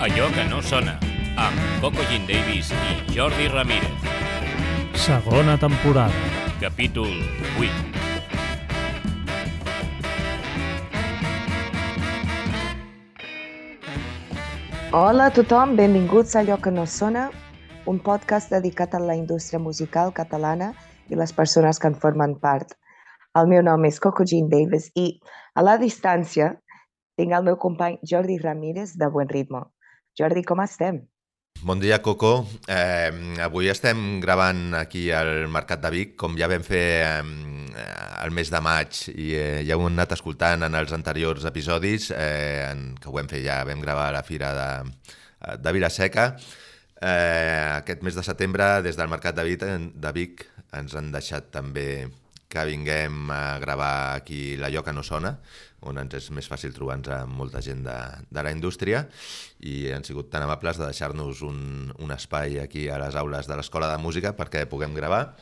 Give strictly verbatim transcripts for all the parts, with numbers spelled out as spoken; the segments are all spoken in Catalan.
Allò que no sona, amb Coco Jean Davis i Jordi Ramírez. Segona temporada. Capítol vuit. Hola a tothom, benvinguts a Allò que no sona, un podcast dedicat a la indústria musical catalana i les persones que en formen part. El meu nom és Coco Jean Davis i, a la distància, tinc el meu company Jordi Ramírez de Buen Ritmo. Jordi, com estem? Bon dia, Coco. Eh, avui estem gravant aquí al Mercat de Vic, com ja vam fer eh, el mes de maig i eh, ja ho hem anat escoltant en els anteriors episodis, eh, en, que ho vam fer ja, vam gravar a la Fira de, de Vila-seca. Eh, aquest mes de setembre, des del Mercat de Vic, de Vic ens han deixat també que vinguem a gravar aquí l'Allò que no sona, on ens és més fàcil trobar-nos amb molta gent de, de la indústria, i han sigut tan amables de deixar-nos un, un espai aquí a les aules de l'Escola de Música perquè puguem gravar.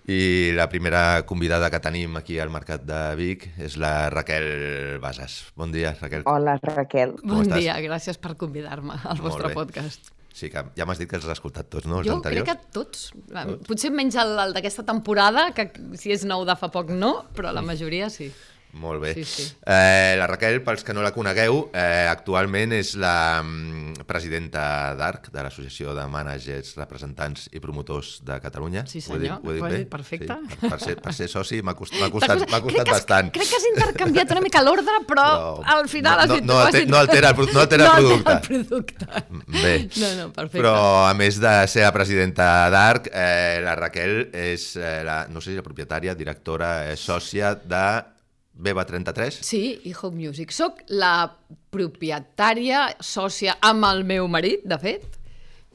I la primera convidada que tenim aquí al Mercat de Vic és la Raquel Bassas. Bon dia, Raquel. Hola, Raquel. Bon dia, gràcies per convidar-me al vostre podcast. Sí, que ja m'has dit que els has escoltat tots, no? Els jo anteriors? crec que tots. tots. Potser menys el, el d'aquesta temporada, que si és nou de fa poc no, però la majoria sí. Molt bé. Sí, sí. Eh, la Raquel, pels que no la conegueu, eh, actualment és la mm, presidenta d'A R C, de l'Associació de Mànagers, Representants i Promotors de Catalunya. Sí, senyor. Ho he dit, ho he dit bé? Perfecte. Sí, per, per, ser, per ser soci m'ha costat, m'ha costat, m'ha costat crec bastant. Has, crec que has intercanviat una mica l'ordre, però, però al final no, has dit... No, no, no altera el, no altera el producte. No altera el producte. Bé. No, no, perfecte. Però a més de ser la presidenta d'A R C, eh, la Raquel és eh, la, no sé si la propietària, directora, eh, sòcia de Beba trenta-tres? Sí, i Home Music. Soc la propietària, sòcia amb el meu marit, de fet,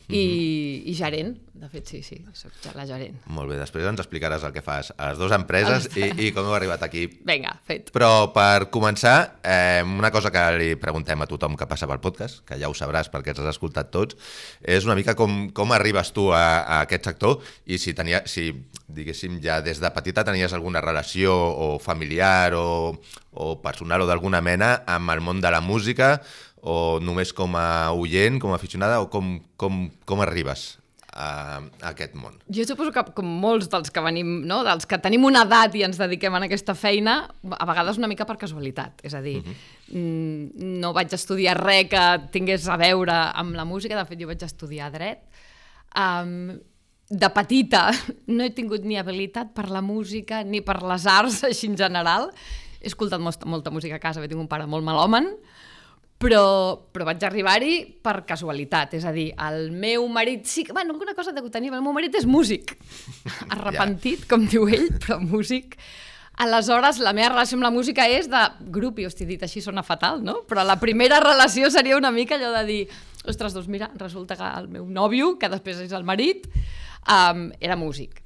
i, mm-hmm. i gerent. De fet, sí, sí, soc la gerent. Molt bé, després ens explicaràs el que fas a les dues empreses i, i com heu arribat aquí. Vinga, fet. Però per començar, eh, una cosa que li preguntem a tothom que passa pel podcast, que ja ho sabràs perquè els has escoltat tots, és una mica com, com arribes tu a, a aquest sector i si, tenia, si, diguéssim, ja des de petita tenies alguna relació o familiar o, o personal o d'alguna mena amb el món de la música, o només com a oient, com a aficionada, o com, com, com arribes a, a aquest món? Jo suposo que com molts dels que venim, no? dels que tenim una edat i ens dediquem a aquesta feina, a vegades una mica per casualitat. És a dir, uh-huh. no vaig estudiar res que tingués a veure amb la música, de fet jo vaig estudiar dret. Um, de petita no he tingut ni habilitat per la música ni per les arts, així en general. He escoltat molta, molta música a casa, tinc un pare molt melòman, Però, però vaig arribar-hi per casualitat. És a dir, el meu marit... Sí, bueno, una cosa de que tenia, el meu marit és músic. Arrepentit, com diu ell, però músic. Aleshores, la meva relació amb la música és de grup, i hosti, dit així sona fatal, no? Però la primera relació seria una mica allò de dir, ostres, doncs mira, resulta que el meu nòvio, que després és el marit, um, era músic.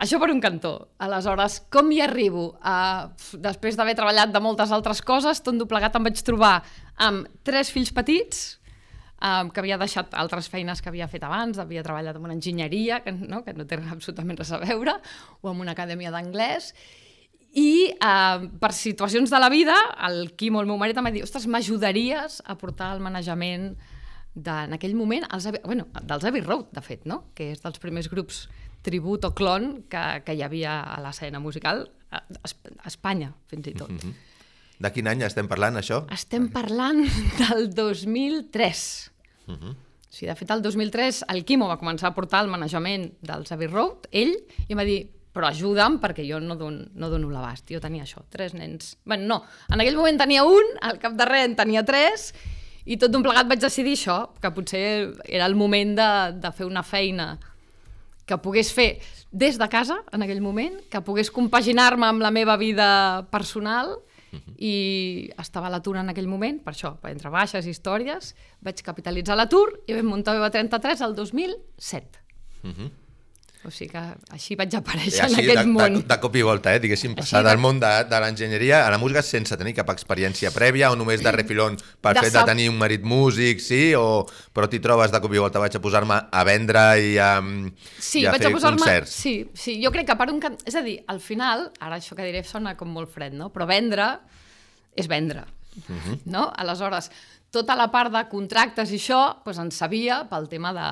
Això per un cantó. Aleshores, com hi arribo? Uh, després d'haver treballat de moltes altres coses, tot doblegat em vaig trobar amb tres fills petits, um, que havia deixat altres feines que havia fet abans, havia treballat en una enginyeria, que no, que no té absolutament res a veure, o en una acadèmia d'anglès, i uh, per situacions de la vida, el Quimo, el meu marit, em va dir, ostres, m'ajudaries a portar el manejament de, en aquell moment, els, bueno, dels Abbey Road, de fet, no? Que és dels primers grups tribut o clon que, que hi havia a l'escena musical a, a Espanya, fins i tot. Mm-hmm. De quin any estem parlant, això? Estem parlant del dos mil tres. Mm-hmm. O sigui, de fet, el dos mil tres el Quimo va començar a portar el manejament dels Abbey Road, ell, i em va dir, però ajuda'm perquè jo no dono, no dono l'abast. Jo tenia això, tres nens. Bé, no, en aquell moment tenia un, al cap de res en tenia tres, i tot d'un plegat vaig decidir això, que potser era el moment de, de fer una feina que pogués fer des de casa, en aquell moment, que pogués compaginar-me amb la meva vida personal, uh-huh. i estava a l'atur en aquell moment, per això, entre baixes i històries, vaig capitalitzar l'atur i vam muntar Beba trenta-tres el dos mil set. Uh-huh. O sigui que així vaig aparèixer en aquest de, món. De, de cop i volta, eh? Diguéssim, passar del món de, de l'enginyeria a la música sense tenir cap experiència prèvia o només de refilón pel fet de tenir un marit músic, sí? O, però t'hi trobes de cop i volta, vaig a posar-me a vendre i a, sí, i a vaig fer a posar-me... concerts. Sí, sí, jo crec que per un... És a dir, al final, ara això que diré sona com molt fred, no? Però vendre és vendre. Uh-huh. No? Aleshores, tota la part de contractes i això doncs en sabia pel tema de,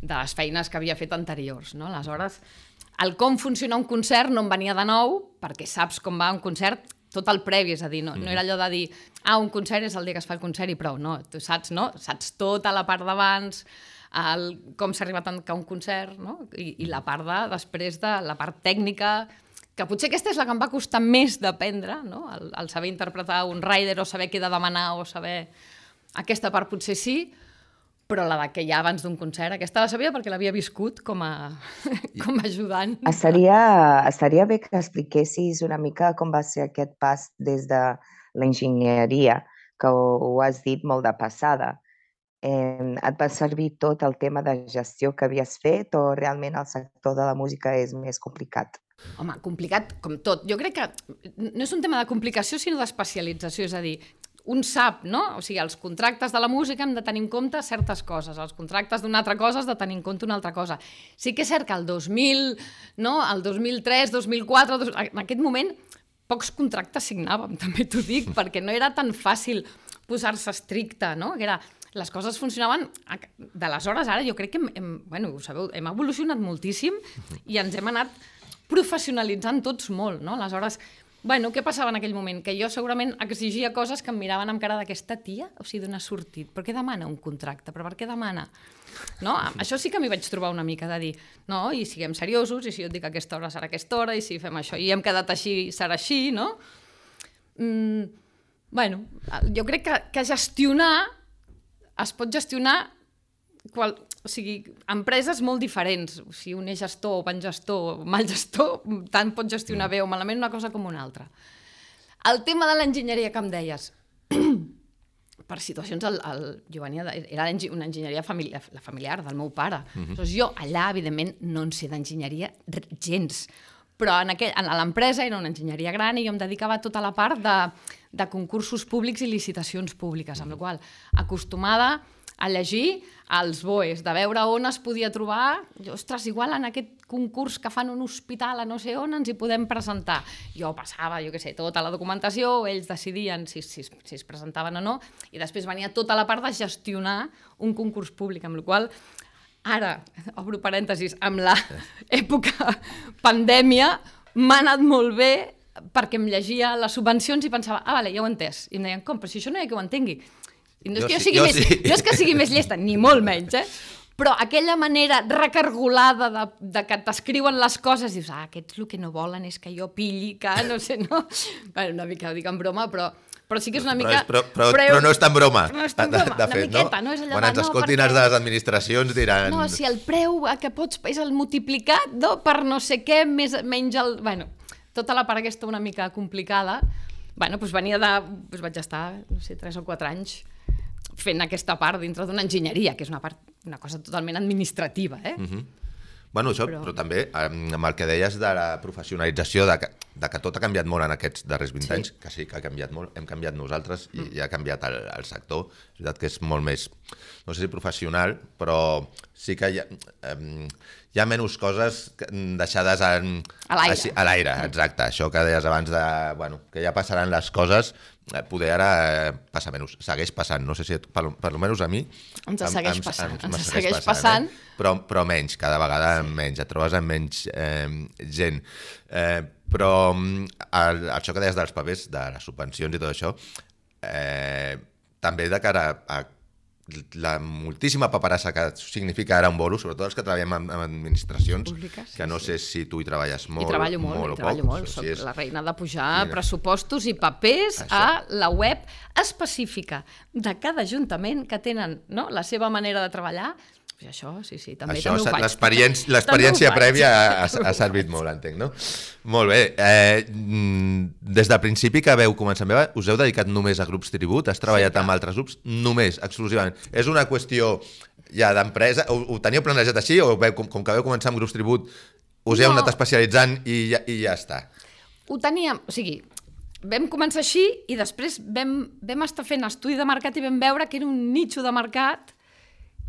de les feines que havia fet anteriors. No? Aleshores, el com funciona un concert no em venia de nou, perquè saps com va un concert tot el previ, és a dir, no, no era allò de dir ah, un concert és el dia que es fa el concert i prou, no, tu saps, no? Saps tota la part d'abans, el, com s'ha arribat a tancar un concert, no? I, i la part de, després de la part tècnica, que potser aquesta és la que em va costar més d'aprendre, no? El, el saber interpretar un rider o saber què he de demanar o saber... Aquesta part potser sí, però la de que ja abans d'un concert, aquesta la sabia perquè l'havia viscut com a, com a ajudant. Estaria, estaria bé que expliquessis una mica com va ser aquest pas des de l'enginyeria, que ho, ho has dit molt de passada. Eh, et va servir tot el tema de gestió que havies fet o realment el sector de la música és més complicat? Home, complicat com tot. Jo crec que no és un tema de complicació, sinó d'especialització. És a dir, un sap, no? O sigui, els contractes de la música hem de tenir en compte certes coses, els contractes d'una altra cosa has de tenir en compte una altra cosa. Sí que és cert que el dos mil, no? El dos mil tres, dos mil quatre, en aquest moment, pocs contractes signàvem, també t'ho dic, perquè no era tan fàcil posar-se estricte, no? Que era... Les coses funcionaven d'aleshores, ara jo crec que hem, hem, bueno, ho sabeu, hem evolucionat moltíssim i ens hem anat professionalitzant tots molt, no? Aleshores, bueno, què passava en aquell moment? Que jo segurament exigia coses que em miraven amb cara d'aquesta tia, o sigui, d'on ha sortit? Per què demana un contracte? Però per què demana? No? Això sí que m'hi vaig trobar una mica de dir, no, i siguem seriosos, i si jo et dic que aquesta hora serà aquesta hora, i si fem això, i hem quedat així, serà així, no? Mm, bueno, jo crec que, que gestionar es pot gestionar qual, o sigui, empreses molt diferents. O sigui, un és gestor, bon gestor, mal gestor, tant pot gestionar bé o malament una cosa com una altra. El tema de l'enginyeria que em deies, per situacions, el, el, jo venia de, era una enginyeria familiar, la familiar del meu pare. Uh-huh. Doncs jo allà, evidentment, no en sé d'enginyeria gens, però en, aquell, en l'empresa era una enginyeria gran i jo em dedicava a tota la part de, de concursos públics i licitacions públiques, amb la qual cosa acostumada a llegir els B O Es, de veure on es podia trobar, ostres, igual en aquest concurs que fan un hospital a no sé on ens hi podem presentar. Jo passava, jo què sé, tota la documentació, ells decidien si, si, si es presentaven o no, i després venia tota la part de gestionar un concurs públic, amb la qual cosa ara, obro parèntesis, amb l'època pandèmia m'ha anat molt bé perquè em llegia les subvencions i pensava, ah, vale, ja ho he entès. I em deien, com? Però si això no hi ha que ho entengui. I no és, que jo sigui jo més, sí. no és que sigui més llesta, ni molt menys, eh? Però aquella manera recargolada de, de que t'escriuen les coses, dius, ah, aquests el que no volen és que jo pilli, que no sé, no? Bueno, una mica ho dic en broma, però... Però sí que és una mica... Però, és, però, però, però no és tan broma. No és tan broma, de, de fet, una miqueta, no? no? És allò quan ens no, escoltin perquè... els de les administracions diran... No, si el preu que pots és el multiplicat, no? Per no sé què, més, menys el... Bueno, tota la part aquesta una mica complicada, bueno, doncs venia de... Doncs vaig estar, no sé, tres o quatre anys fent aquesta part dintre d'una enginyeria, que és una part, una cosa totalment administrativa, eh? Uh-huh. Bueno, això, però... però també amb el que deies de la professionalització, de que, de que tot ha canviat molt en aquests darrers vint sí. anys, que sí que ha canviat molt, hem canviat nosaltres i, mm. i ha canviat el, el sector. És veritat que és molt més, no sé si professional, però sí que hi ha, eh, hi ha menys coses deixades en, a l'aire. A l'aire, exacte. Això que deies abans de, bueno, que ja passaran les coses, poder ara eh, passa menys, segueix passant, no sé si per, per almenys a mi ens segueix em, passant, em, ens segueix passant, passant. Eh? però, però menys, cada vegada sí. menys, et trobes amb menys eh, gent, eh, però el, això que deies dels papers, de les subvencions i tot això, eh, també de cara a la moltíssima paperassa que significa ara un bolo, sobretot els que treballem en, en administracions, públiques, que no sí. sé si tu hi treballes molt, hi treballo molt, molt hi treballo poc, molt. Soc si és... la reina de pujar Mira. pressupostos i papers Això. a la web específica de cada ajuntament que tenen, no?, la seva manera de treballar. Pues això, sí, sí, també, això, també ho faig. L'experiència, l'experiència prèvia ha, ha servit molt, entenc, no? Molt bé. Eh, des del principi que veu començar amb Eva, us heu dedicat només a grups tribut? Has treballat sí, amb altres grups? Només, exclusivament. És una qüestió ja d'empresa? Ho, ho teníeu planejat així o veu, com, com que veu començar amb grups tribut us heu no. anat especialitzant i ja, i ja està? Ho teníem, o sigui, vam començar així i després vam, vam estar fent estudi de mercat i vam veure que era un nicho de mercat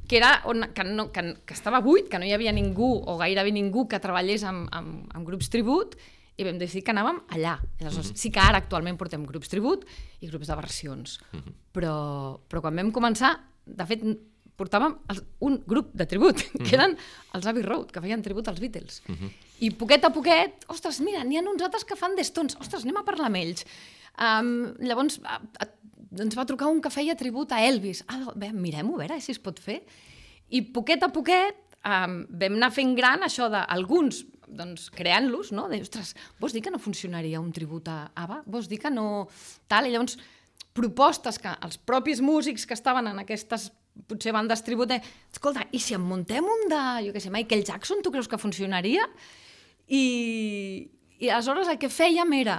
que, era on, que, no, que, que estava buit, que no hi havia ningú o gairebé ningú que treballés amb, amb, amb grups tribut i vam decidir que anàvem allà. Aleshores, sí que ara actualment portem grups tribut i grups de versions, però, però quan vam començar, de fet, portàvem un grup de tribut, que eren els Abbey Road, que feien tribut als Beatles. Uh-huh. I poquet a poquet, ostres, mira, n'hi ha uns altres que fan The Stones, ostres, anem a parlar amb ells. Um, llavors a, a, ens va trucar un que feia tribut a Elvis. Ah, bé, mirem-ho, a veure si es pot fer. I poquet a poquet um, vam anar fent gran això d'alguns, doncs, creant-los, no? De, ostres, vols dir que no funcionaria un tribut a ABBA? Vols dir que no... Tal, i llavors, propostes que els propis músics que estaven en aquestes potser bandes tribut, de, escolta, i si en muntem un de, jo què sé, Michael Jackson, tu creus que funcionaria? I, i aleshores el que fèiem era,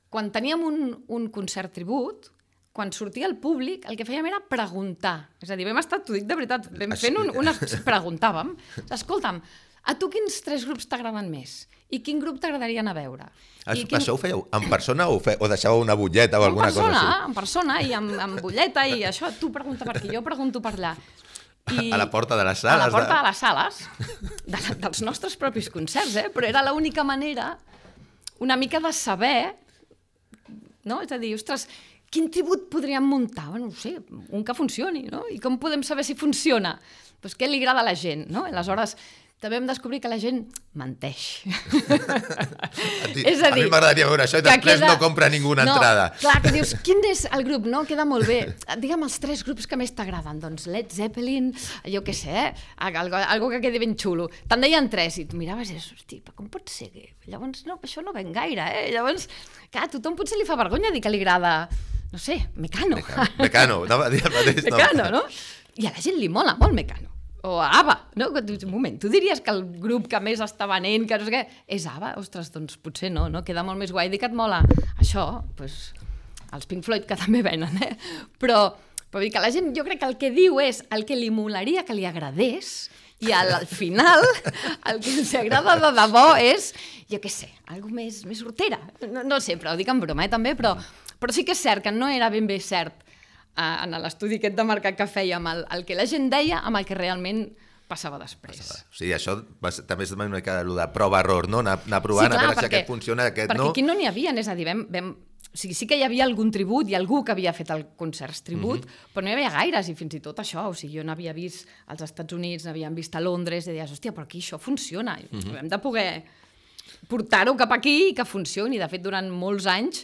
quan teníem un, un concert tribut, quan sortia el públic, el que fèiem era preguntar. És a dir, vam estar, t'ho dic de veritat, vam fent un, unes... preguntàvem, escolta'm, a tu quins tres grups t'agraden més? I quin grup t'agradaria anar a veure? Això, quin... això ho fèieu en persona o, fe... o deixàveu una butlleta o alguna persona, cosa així? En persona, i amb, amb butlleta, i això, tu pregunta per aquí, jo pregunto per allà. I... A la porta de les sales? A la porta de, de les sales, de la, dels nostres propis concerts, eh? Però era l'única manera una mica de saber, no? És a dir, ostres, quin tribut podríem muntar? Bueno, no sé, un que funcioni, no? I com podem saber si funciona? Doncs què li agrada a la gent, no? Aleshores, també vam descobrir que la gent menteix. A, ti, és a, dir, a mi m'agradaria veure això i després queda... no compra ninguna no, entrada. Clar, que dius, quin és el grup? No, queda molt bé. Digue'm els tres grups que més t'agraden. Doncs Led Zeppelin, jo què sé, algo, algo que quedi ben xulo. Te'n deien tres i tu miraves i dius, hosti, però com pot ser? Llavors, no, això no ven gaire, eh? Llavors, clar, a tothom potser li fa vergonya dir que li agrada, no sé, Mecano. Mecano, Mecano anava a dir el mateix. Mecano, no? I a la gent li mola molt Mecano. O a ABBA, no? Un moment, tu diries que el grup que més està venent, que no sé què, és ABBA? Ostres, doncs potser no, no? Queda molt més guai dir que et mola això, doncs, els Pink Floyd, que també venen, eh? Però, però dir que la gent, jo crec que el que diu és el que li molaria que li agradés, i al, al final el que els agrada de debò és, jo què sé, algo més, més hortera. No, no sé, però ho dic en broma, eh, també, però, però sí que és cert que no era ben bé cert en l'estudi aquest de mercat que fèiem, el, el que la gent deia amb el que realment passava després. Passava. O sigui, això va ser, també és una mica el de prova-error, no? Anar, anar provant, sí, clar, a veure perquè, si aquest funciona, aquest perquè no. Perquè aquí no n'hi havia, és a dir, vam, vam, o sigui, sí que hi havia algun tribut i algú que havia fet el concerts tribut, mm-hmm. però no hi havia gaires, i fins i tot això, o sigui, jo n'havia vist als Estats Units, n'havíem vist a Londres, i deies, hòstia, però aquí això funciona, mm-hmm. hem de poder portar-ho cap aquí i que funcioni. De fet, durant molts anys,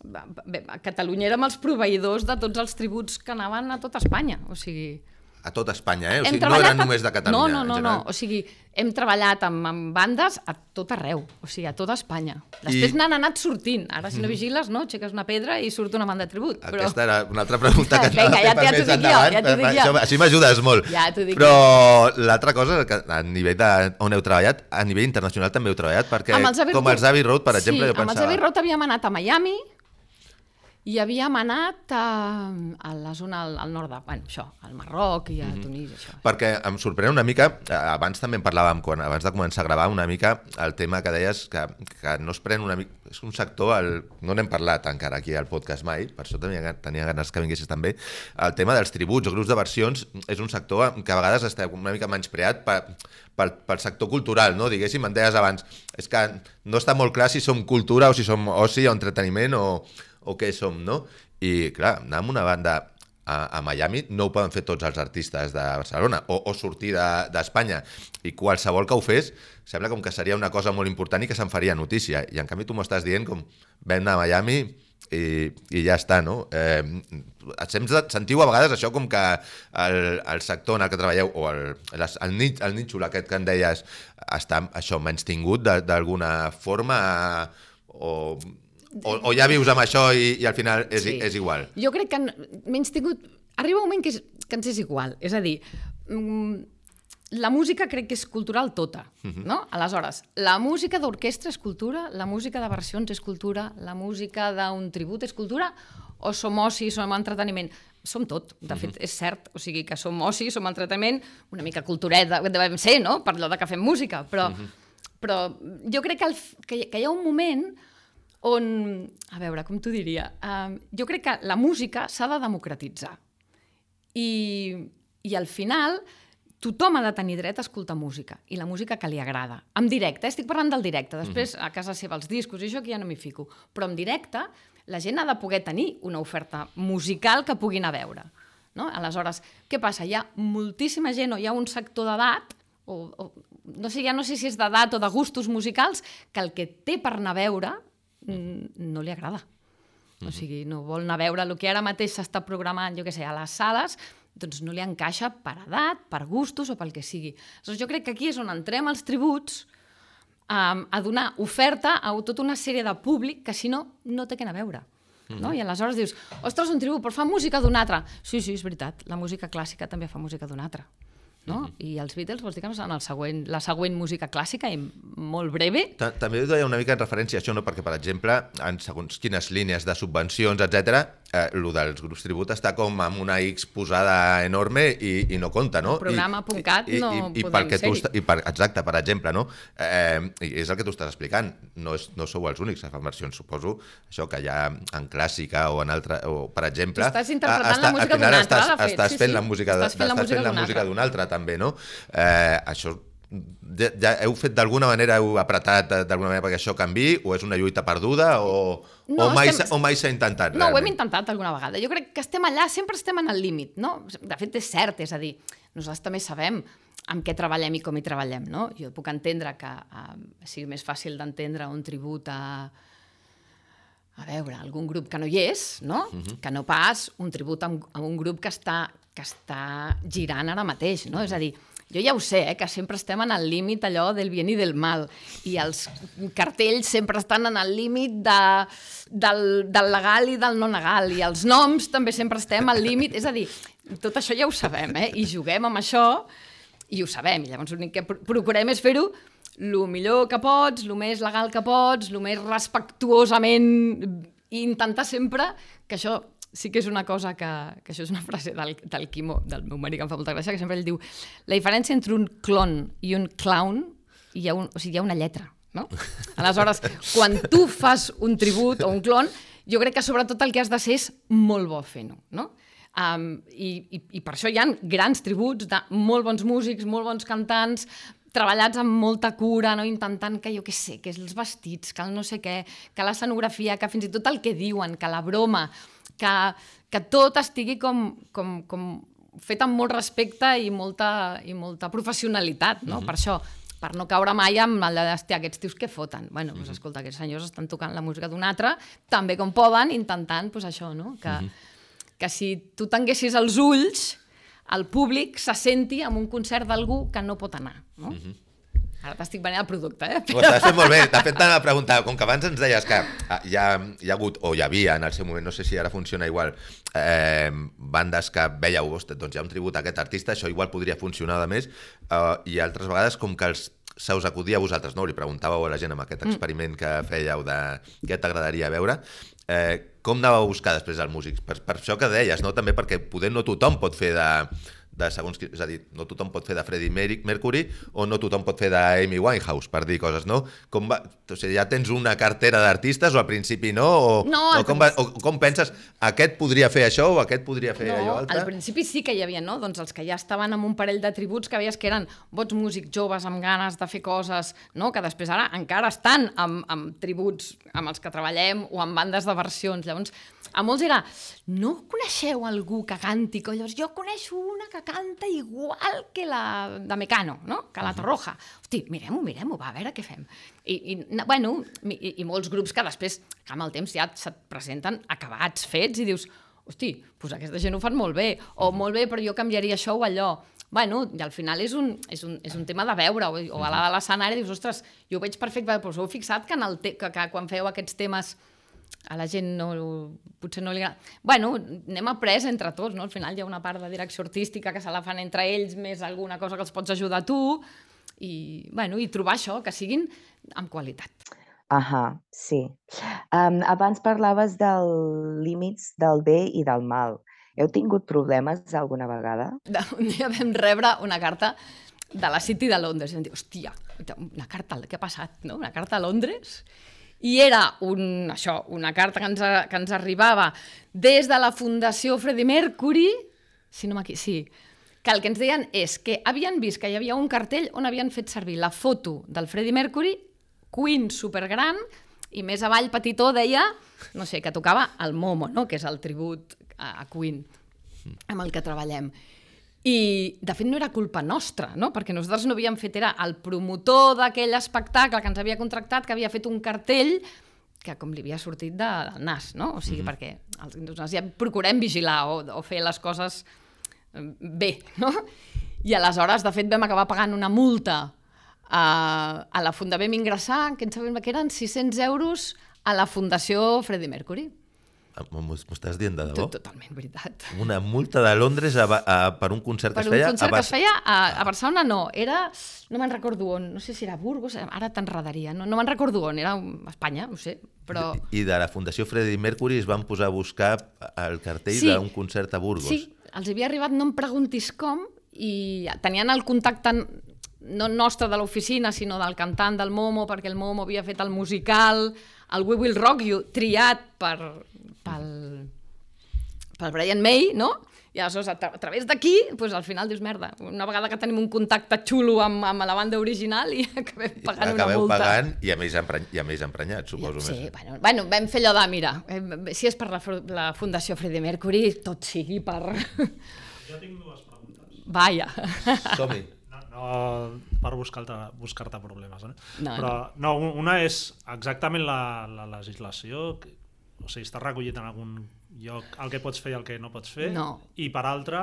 a Catalunya érem els proveïdors de tots els tributs que anaven a tot Espanya, o sigui... A tot Espanya, eh? O sigui, no eren només de Catalunya. No, no, no, no, o sigui, hem treballat amb, amb bandes a tot arreu, o sigui, a tota Espanya. Després I... n'han anat sortint, ara si no vigiles, no, aixeques una pedra i surt una banda de tribut. Però... Aquesta era una altra pregunta que Vinga, ja, ja t'ho dic jo, ja t'ho dic jo. Això, així m'ajudes molt. Ja t'ho dic Però jo. L'altra cosa, que a nivell de on heu treballat, a nivell internacional també heu treballat, perquè els com els Abbey Road, per exemple, sí, jo pensava... amb els Abbey Road havíem anat a Miami, i havíem anat a, a la zona al, al nord de, bueno, això, al Marroc i a mm-hmm. Tunis, això. Perquè em sorprèn una mica, abans també en parlàvem, quan, abans de començar a gravar, una mica el tema que deies, que, que no es pren una mica... És un sector, el, no n'hem parlat encara aquí al podcast mai, per això tenia, tenia ganes que vinguessis també, el tema dels tributs o grups de versions és un sector que a vegades està una mica menyspreat per, pel, pel sector cultural, no? Diguéssim, em deies abans, és que no està molt clar si som cultura o si som oci o entreteniment o... o què som, no? I, clar, anar amb una banda a, a Miami no ho poden fer tots els artistes de Barcelona, o, o sortir d'Espanya, de, i qualsevol que ho fes sembla com que seria una cosa molt important i que se'n faria notícia, i en canvi tu m'ho estàs dient com vam anar a Miami i, i ja està, no? Eh, sentiu a vegades això com que el, el sector en el que treballeu, o el, el, el, nit, el nítxol aquest que en deies, està això menys tingut d'alguna forma, o... O, o ja vius amb això i, i al final és, sí. és igual? Jo crec que menys tingut... Arriba un moment que, és, que ens és igual. És a dir, la música crec que és cultural tota, uh-huh. no? Aleshores, la música d'orquestra és cultura, la música de versions és cultura, la música d'un tribut és cultura, o som oci, som entreteniment? Som tot, de fet, uh-huh. és cert. O sigui, que som oci, som entreteniment, una mica cultureta, devem ser, no? Per allò de que fem música. Però, uh-huh. però jo crec que, el, que, que hi ha un moment on, a veure, com t'ho diria, uh, jo crec que la música s'ha de democratitzar. I, i al final, tothom ha de tenir dret a escoltar música, i la música que li agrada. En directe, eh? Estic parlant del directe, després a casa seva els discos i això que ja no m'hi fico, però en directe la gent ha de poder tenir una oferta musical que pugui anar a veure. No? Aleshores, què passa? Hi ha moltíssima gent o hi ha un sector d'edat, o, o, no sé, ja no sé si és d'edat o de gustos musicals, que el que té per anar a veure no li agrada. O sigui, no vol anar a veure el que ara mateix s'està programant, jo què sé, a les sales, doncs no li encaixa per edat, per gustos o pel que sigui. Aleshores, jo crec que aquí és on entrem els tributs um, a donar oferta a tota una sèrie de públic que, si no, no té què anar a veure. No? I aleshores dius, ostres, un tribut, però fa música d'un altre. Sí, sí, és veritat, la música clàssica també fa música d'un altre. No? I els Beatles vols dir que no seran el següent, la següent música clàssica i molt breve. També ho deia una mica en referència a això, no? Perquè, per exemple, en segons quines línies de subvencions, etcètera, eh, el dels grups tribut està com amb una X posada enorme i, i no compta, no? El programa punt cat no i, i, i podem ser-hi. I per, exacte, per exemple, no? Eh, és el que tu estàs explicant. No, és, no sou els únics que fan versions, suposo, això que hi ha en clàssica o en altra, o, per exemple... Tu estàs interpretant la música d'un altre, estàs, de fet. Estàs fent la música d'un altre, també, no? Eh, això ja, ja heu fet d'alguna manera, heu apretat d'alguna manera perquè això canvi, o és una lluita perduda o, no, o mai estem... o mai s'ha intentat? No, realment? Ho hem intentat alguna vegada. Jo crec que estem allà, sempre estem en el límit, no? De fet, és cert, és a dir, nosaltres també sabem amb què treballem i com hi treballem, no? Jo puc entendre que eh, sigui més fàcil d'entendre un tribut a a veure, algun grup que no hi és, no? Uh-huh. Que no pas un tribut a un, a un grup que està, que està girant ara mateix, no? És a dir, jo ja ho sé, eh, que sempre estem en el límit allò del bien i del mal, i els cartells sempre estan en el límit de, del, del legal i del no legal, i els noms també sempre estem al límit, és a dir, tot això ja ho sabem, eh? I juguem amb això, i ho sabem, i llavors l'únic que procurem és fer-ho el millor que pots, el més legal que pots, el més respectuosament, i intentar sempre que això sí que és una cosa que, que això és una frase del, del Quimo, del meu marit, que em fa molta gràcia, que sempre ell diu, la diferència entre un clon i un clown, hi ha, un, o sigui, hi ha una lletra, no? Aleshores, quan tu fas un tribut o un clon, jo crec que sobretot el que has de ser és molt bo fent-ho, no? Um, i, i, I per això hi ha grans tributs de molt bons músics, molt bons cantants, treballats amb molta cura, no? Intentant que, jo què sé, que els vestits, que el no sé què, que l'escenografia, que fins i tot el que diuen, que la broma, que, que tot estigui com, com, com fet amb molt respecte i molta, i molta professionalitat, no? Uh-huh. Per això, per no caure mai amb el de, hòstia, aquests tios que foten. Bueno, doncs, escolta, aquests senyors estan tocant la música d'un altre, també com poden, intentant, doncs això, no? Que, uh-huh. que si tu tanguessis els ulls, el públic se senti en un concert d'algú que no pot anar, no? Uh-huh. Ara t'estic venint el producte, eh? Ho estàs fent molt bé. De fet, t'anava a preguntar, com que abans ens deies que hi ha, hi ha hagut, o hi havia en el seu moment, no sé si ara funciona igual, eh, bandes que veieu, ostres, doncs hi ha un tribut a aquest artista, això igual podria funcionar de més, eh, i altres vegades com que els se us acudia a vosaltres, no? Li preguntàveu a la gent amb aquest experiment que fèieu de què t'agradaria veure. Eh, com anàveu a buscar després els músics? Per, per això que deies, no? També perquè poder no tothom pot fer de, de segons... És a dir, no tothom pot fer de Freddie Mercury o no tothom pot fer d'Amy Winehouse, per dir coses, no? Com va, o sigui, ja tens una cartera d'artistes o al principi no? O, no, o, com va, o com penses, aquest podria fer això o aquest podria fer no, allò altre? Al principi sí que hi havia, no? Doncs els que ja estaven amb un parell de tributs que veies que eren bons músics joves amb ganes de fer coses, no? Que després ara encara estan amb, amb tributs amb els que treballem o amb bandes de versions. Llavors, a molts era, no coneixeu algú que canti? Llavors, jo coneixo una que canta igual que la de Mecano, no? Que la Torroja. Hosti, mirem-ho, mirem-ho, va, a veure què fem. I, i, bueno, i, i molts grups que després, que amb el temps ja se't presenten acabats, fets, i dius, hosti, doncs aquesta gent ho fan molt bé, o molt bé, però jo canviaria això o allò. Bueno, i al final és un, és un, és un tema de veure, o, o a la de l'escenari dius, ostres, jo ho veig perfecte, però us heu fixat que, en el te que, que quan feu aquests temes a la gent no, potser no li agrada... Bueno, anem après entre tots, no? Al final hi ha una part de direcció artística que se la fan entre ells, més alguna cosa que els pots ajudar a tu, i, bueno, i trobar això, que siguin amb qualitat. Ahà, sí. Um, abans parlaves dels límits del bé i del mal. Heu tingut problemes alguna vegada? Un dia vam rebre una carta de la City de Londres i vam dir, hòstia, una carta, què ha passat, no? Una carta a Londres? I era un, això, una carta que ens, que ens arribava des de la Fundació Freddie Mercury, si no m'equivoco, sí, que el que ens deien és que havien vist que hi havia un cartell on havien fet servir la foto del Freddie Mercury, Queen supergran, i més avall petitó deia, no sé, que tocava el Momo, no? Que és el tribut a Queen amb el que treballem. I, de fet, no era culpa nostra, no? Perquè nosaltres no havíem fet, era el promotor d'aquell espectacle que ens havia contractat, que havia fet un cartell que com li havia sortit de, del nas, no? O sigui, mm-hmm. perquè els, nosaltres ja procurem vigilar o, o fer les coses bé, no? I aleshores, de fet, vam acabar pagant una multa a, a la Fundació, vam ingressar, que ens sabem que eren sis-cents euros a la Fundació Freddie Mercury. M'ho estàs dient de debò? Totalment veritat. Una multa de Londres a, a, per un concert que es feia... Per un concert que es feia a, a Barcelona, no. Era... No me'n recordo on. No sé si era Burgos, ara t'enredaria. No, no me'n recordo on. Era a Espanya, ho sé, però... I de la Fundació Freddie Mercury es van posar a buscar el cartell sí. d'un concert a Burgos. Sí, els havia arribat, no em preguntis com, i tenien el contacte no nostre de l'oficina, sinó del cantant del Momo, perquè el Momo havia fet el musical, el We Will Rock You, triat per... pel, pel Brian May, no? I aleshores, a, tra a través d'aquí, pues, al final dius, merda, una vegada que tenim un contacte xulo amb, amb la banda original i acabem pagant una multa. Acabeu pagant i a més, empreny i a més emprenyat, suposo. Sí, més. bueno, bueno, vam fer allò de, mira, eh, si és per la, la Fundació Freddie Mercury, tot sigui per... Jo tinc dues preguntes. Vaja. Som-hi. No, no per buscar-te buscar problemes, eh? No, però no, una és exactament la, la legislació, o sigui, està recollit en algun lloc el que pots fer i el que no pots fer, no. I per altra,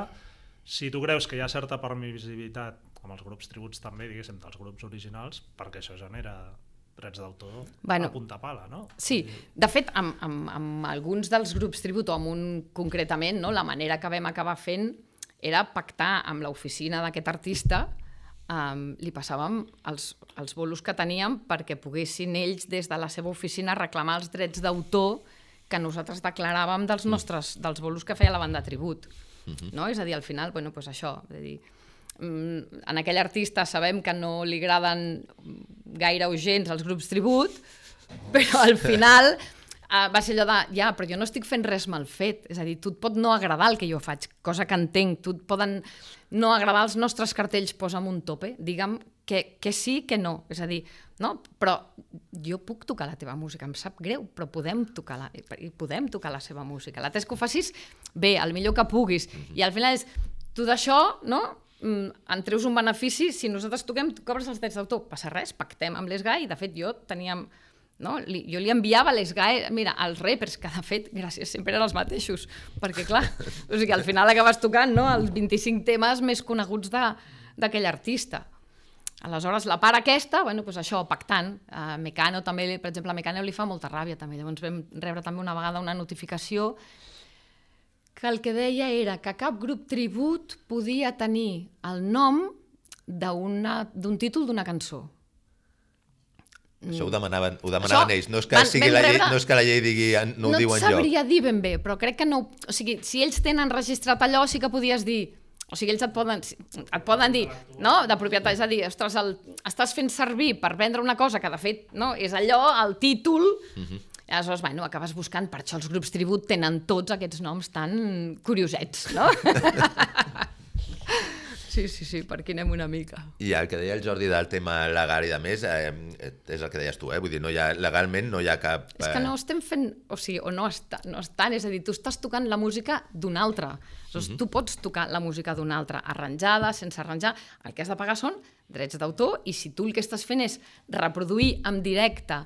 si tu creus que hi ha certa permissivitat amb els grups tributs també, diguéssim, dels grups originals, perquè això genera drets d'autor bueno, a punta pala, no? Sí, de fet, amb, amb, amb alguns dels grups tribut, o amb un concretament, no, la manera que vam acabar fent era pactar amb l'oficina d'aquest artista, um, li passàvem els, els bolos que teníem perquè poguessin ells des de la seva oficina reclamar els drets d'autor que nosaltres declaràvem dels nostres, dels bolos que feia la banda tribut. Uh-huh. No? És a dir, al final, bueno, pues això, és a dir, en aquell artista sabem que no li agraden gaire o gens els grups tribut, però al final uh, va ser allò de, ja, però jo no estic fent res mal fet, és a dir, tu et pot no agradar el que jo faig, cosa que entenc, tu et poden no agradar els nostres cartells, posa'm un tope, digue'm que, que sí, que no, és a dir, no? Però jo puc tocar la teva música, em sap greu, però podem tocar la, podem tocar la seva música. La tes que ho facis bé, el millor que puguis. I al final és, tu d'això, no? En treus un benefici, si nosaltres toquem, tu cobres els drets d'autor, passa res, pactem amb l'E S G A E i de fet jo teníem, no? Jo li enviava a l'E S G A E, mira, els rappers, que de fet, gràcies, sempre eren els mateixos, perquè clar, o sigui, al final acabes tocant, no? Els vint-i-cinc temes més coneguts d'aquell artista. Aleshores, la part aquesta, bueno, doncs això, pactant. Uh, Mecano també, per exemple, a Mecano li fa molta ràbia també. Llavors vam rebre també una vegada una notificació que el que deia era que cap grup tribut podia tenir el nom d'un títol d'una cançó. Això ho demanaven, ho demanaven Això, ells, no és, que van, sigui la llei, no és que la llei digui, no, no ho diuen jo. No et sabria dir ben bé, però crec que no... O sigui, si ells tenen registrat allò, sí que podies dir... O sigui, ells et poden, et poden dir, no?, de propietat, és a dir, ostres, el, estàs fent servir per vendre una cosa que, de fet, no, és allò, el títol, uh-huh. Aleshores, bueno, acabes buscant, per això els grups tribut tenen tots aquests noms tan curiosets, no? Sí, sí, sí, per aquí anem una mica. I el que deia el Jordi del tema legal i de més, eh, és el que deies tu, eh? Vull dir, no hi ha, legalment no hi ha cap... Eh... És que no estem fent, o sigui, o no, està, no estan, és a dir, tu estàs tocant la música d'un altre. Aleshores, uh-huh. Tu pots tocar la música d'un altre, arranjada, sense arranjar. El que has de pagar són drets d'autor i si tu el que estàs fent és reproduir en directe,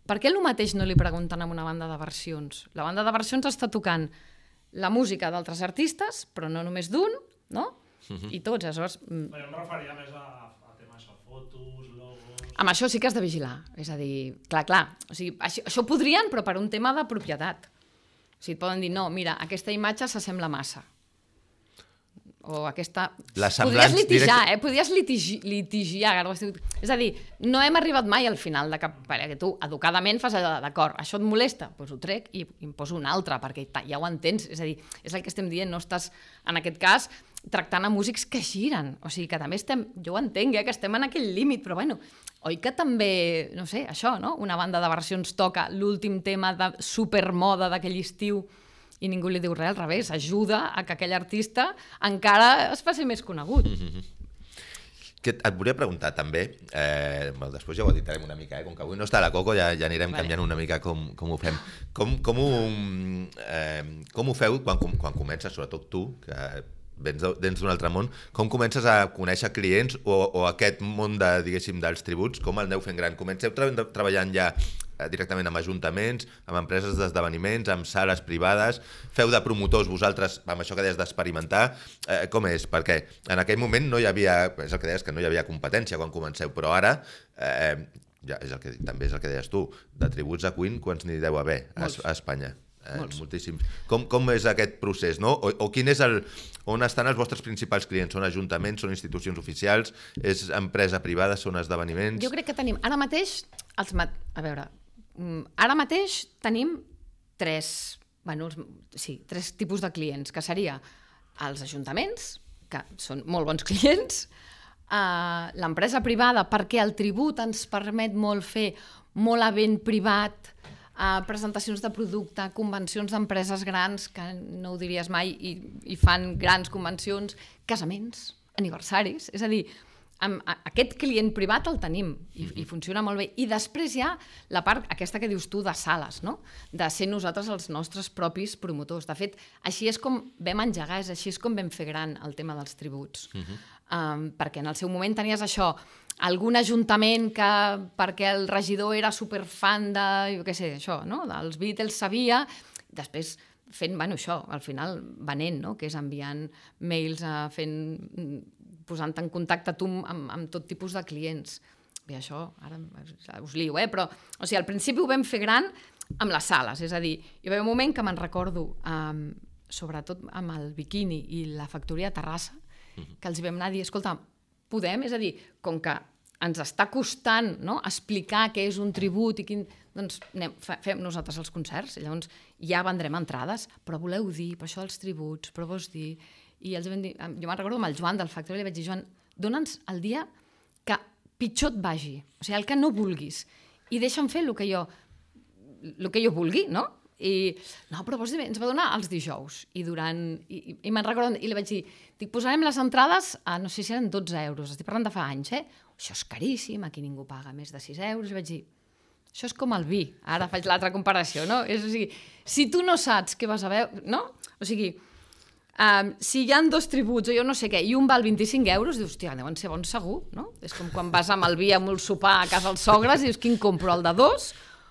per què el mateix no li pregunten a una banda de versions? La banda de versions està tocant la música d'altres artistes, però no només d'un, no? Uh-huh. I tots, aleshores... Però em referia més a, a temes de fotos, logos... Amb això sí que has de vigilar, és a dir, clar, clar, o sigui, això, això podrien, però per un tema de propietat. O sigui, et poden dir, no, mira, aquesta imatge s'assembla massa. O aquesta... Podries litigar, directe... eh? Podries litigi... litigiar. És a dir, no hem arribat mai al final de cap... Perquè tu, educadament, fas allò d'acord, això et molesta? Doncs ho trec i em poso un altre, perquè ja ho entens. És a dir, és el que estem dient, no estàs, en aquest cas, tractant a músics que giren. O sigui, que també estem... Jo ho entenc, eh? Que estem en aquell límit, però bueno, oi que també, no sé, això, no? Una banda de versions toca l'últim tema de supermoda d'aquell estiu i ningú li diu res, al revés, ajuda a que aquell artista encara es faci més conegut. Mm-hmm. Que et volia preguntar també, eh, bueno, després ja ho editarem una mica, eh? Com que avui no està la Coco ja, ja anirem vale. canviant una mica com, com ho fem. Com, com, ho, eh, com ho feu quan, quan comences, sobretot tu, que vens d'un altre món, com comences a conèixer clients o, o aquest món de, diguéssim, dels tributs, com el aneu fent gran? Comenceu tra treballant ja directament amb ajuntaments, amb empreses d'esdeveniments, amb sales privades, feu de promotors vosaltres, amb això que deies d'experimentar, eh, com és? Perquè en aquell moment no hi havia, és el que deies, que no hi havia competència quan comenceu, però ara, eh, ja és el que, també és el que deies tu, de tributs a Queen, quants n'hi deu haver a, a Espanya? Eh, moltíssims. Com, com és aquest procés, no? O, o quin és el, on estan els vostres principals clients? Són ajuntaments, són institucions oficials, és empresa privada, són esdeveniments? Jo crec que tenim, ara mateix, els mat... a veure, ara mateix tenim tres, bueno, sí, tres tipus de clients, que seria els ajuntaments, que són molt bons clients, uh, l'empresa privada, perquè el tribut ens permet molt fer molt event privat, Uh, presentacions de producte, convencions d'empreses grans, que no ho diries mai, i, i fan grans convencions, casaments, aniversaris, és a dir, amb, a, aquest client privat el tenim i, i funciona molt bé. I després hi ha la part aquesta que dius tu de sales, no? De ser nosaltres els nostres propis promotors. De fet, així és com vam engegar, és així és com vam fer gran el tema dels tributs. Uh-huh. um, perquè en el seu moment tenies això, algun ajuntament que, perquè el regidor era superfan de, jo què sé, això, no? Dels Beatles sabia, després fent, bueno, això, al final venent, no? Que és enviant mails, uh, fent, posant en contacte tu amb, amb tot tipus de clients. Bé, això, ara us lio, eh? Però, o sigui, al principi ho vam fer gran amb les sales, és a dir, hi va haver un moment que me'n recordo, um, sobretot amb el Bikini i la factoria de Terrassa, que els vam anar a dir, escolta, podem, és a dir, com que ens està costant, no?, explicar què és un tribut i quin... Doncs anem, fem nosaltres els concerts, i llavors ja vendrem entrades, però voleu dir, per això dels tributs, però vols dir... I els vam dir, jo me'n recordo amb el Joan del Factory, li vaig dir, Joan, dona'ns el dia que pitjor et vagi, o sigui, el que no vulguis, i deixa'm fer el que jo, el que jo vulgui, no? I, no, però vols dir, ens va donar els dijous, i durant, i, i, i me'n recordo, i li vaig dir, dic, posarem les entrades a, no sé si eren dotze euros, estic parlant de fa anys, eh? Això és caríssim, aquí ningú paga més de sis euros, i vaig dir, això és com el vi, ara faig l'altra comparació, no? És, o sigui, si tu no saps què vas a veure, no? O sigui, um, si hi ha dos tributs o jo no sé què, i un val vint-i-cinc euros, dius, hòstia, deuen ser bons segur, no? És com quan vas amb el vi amb el sopar a casa dels sogres i dius, quin compro, el de dos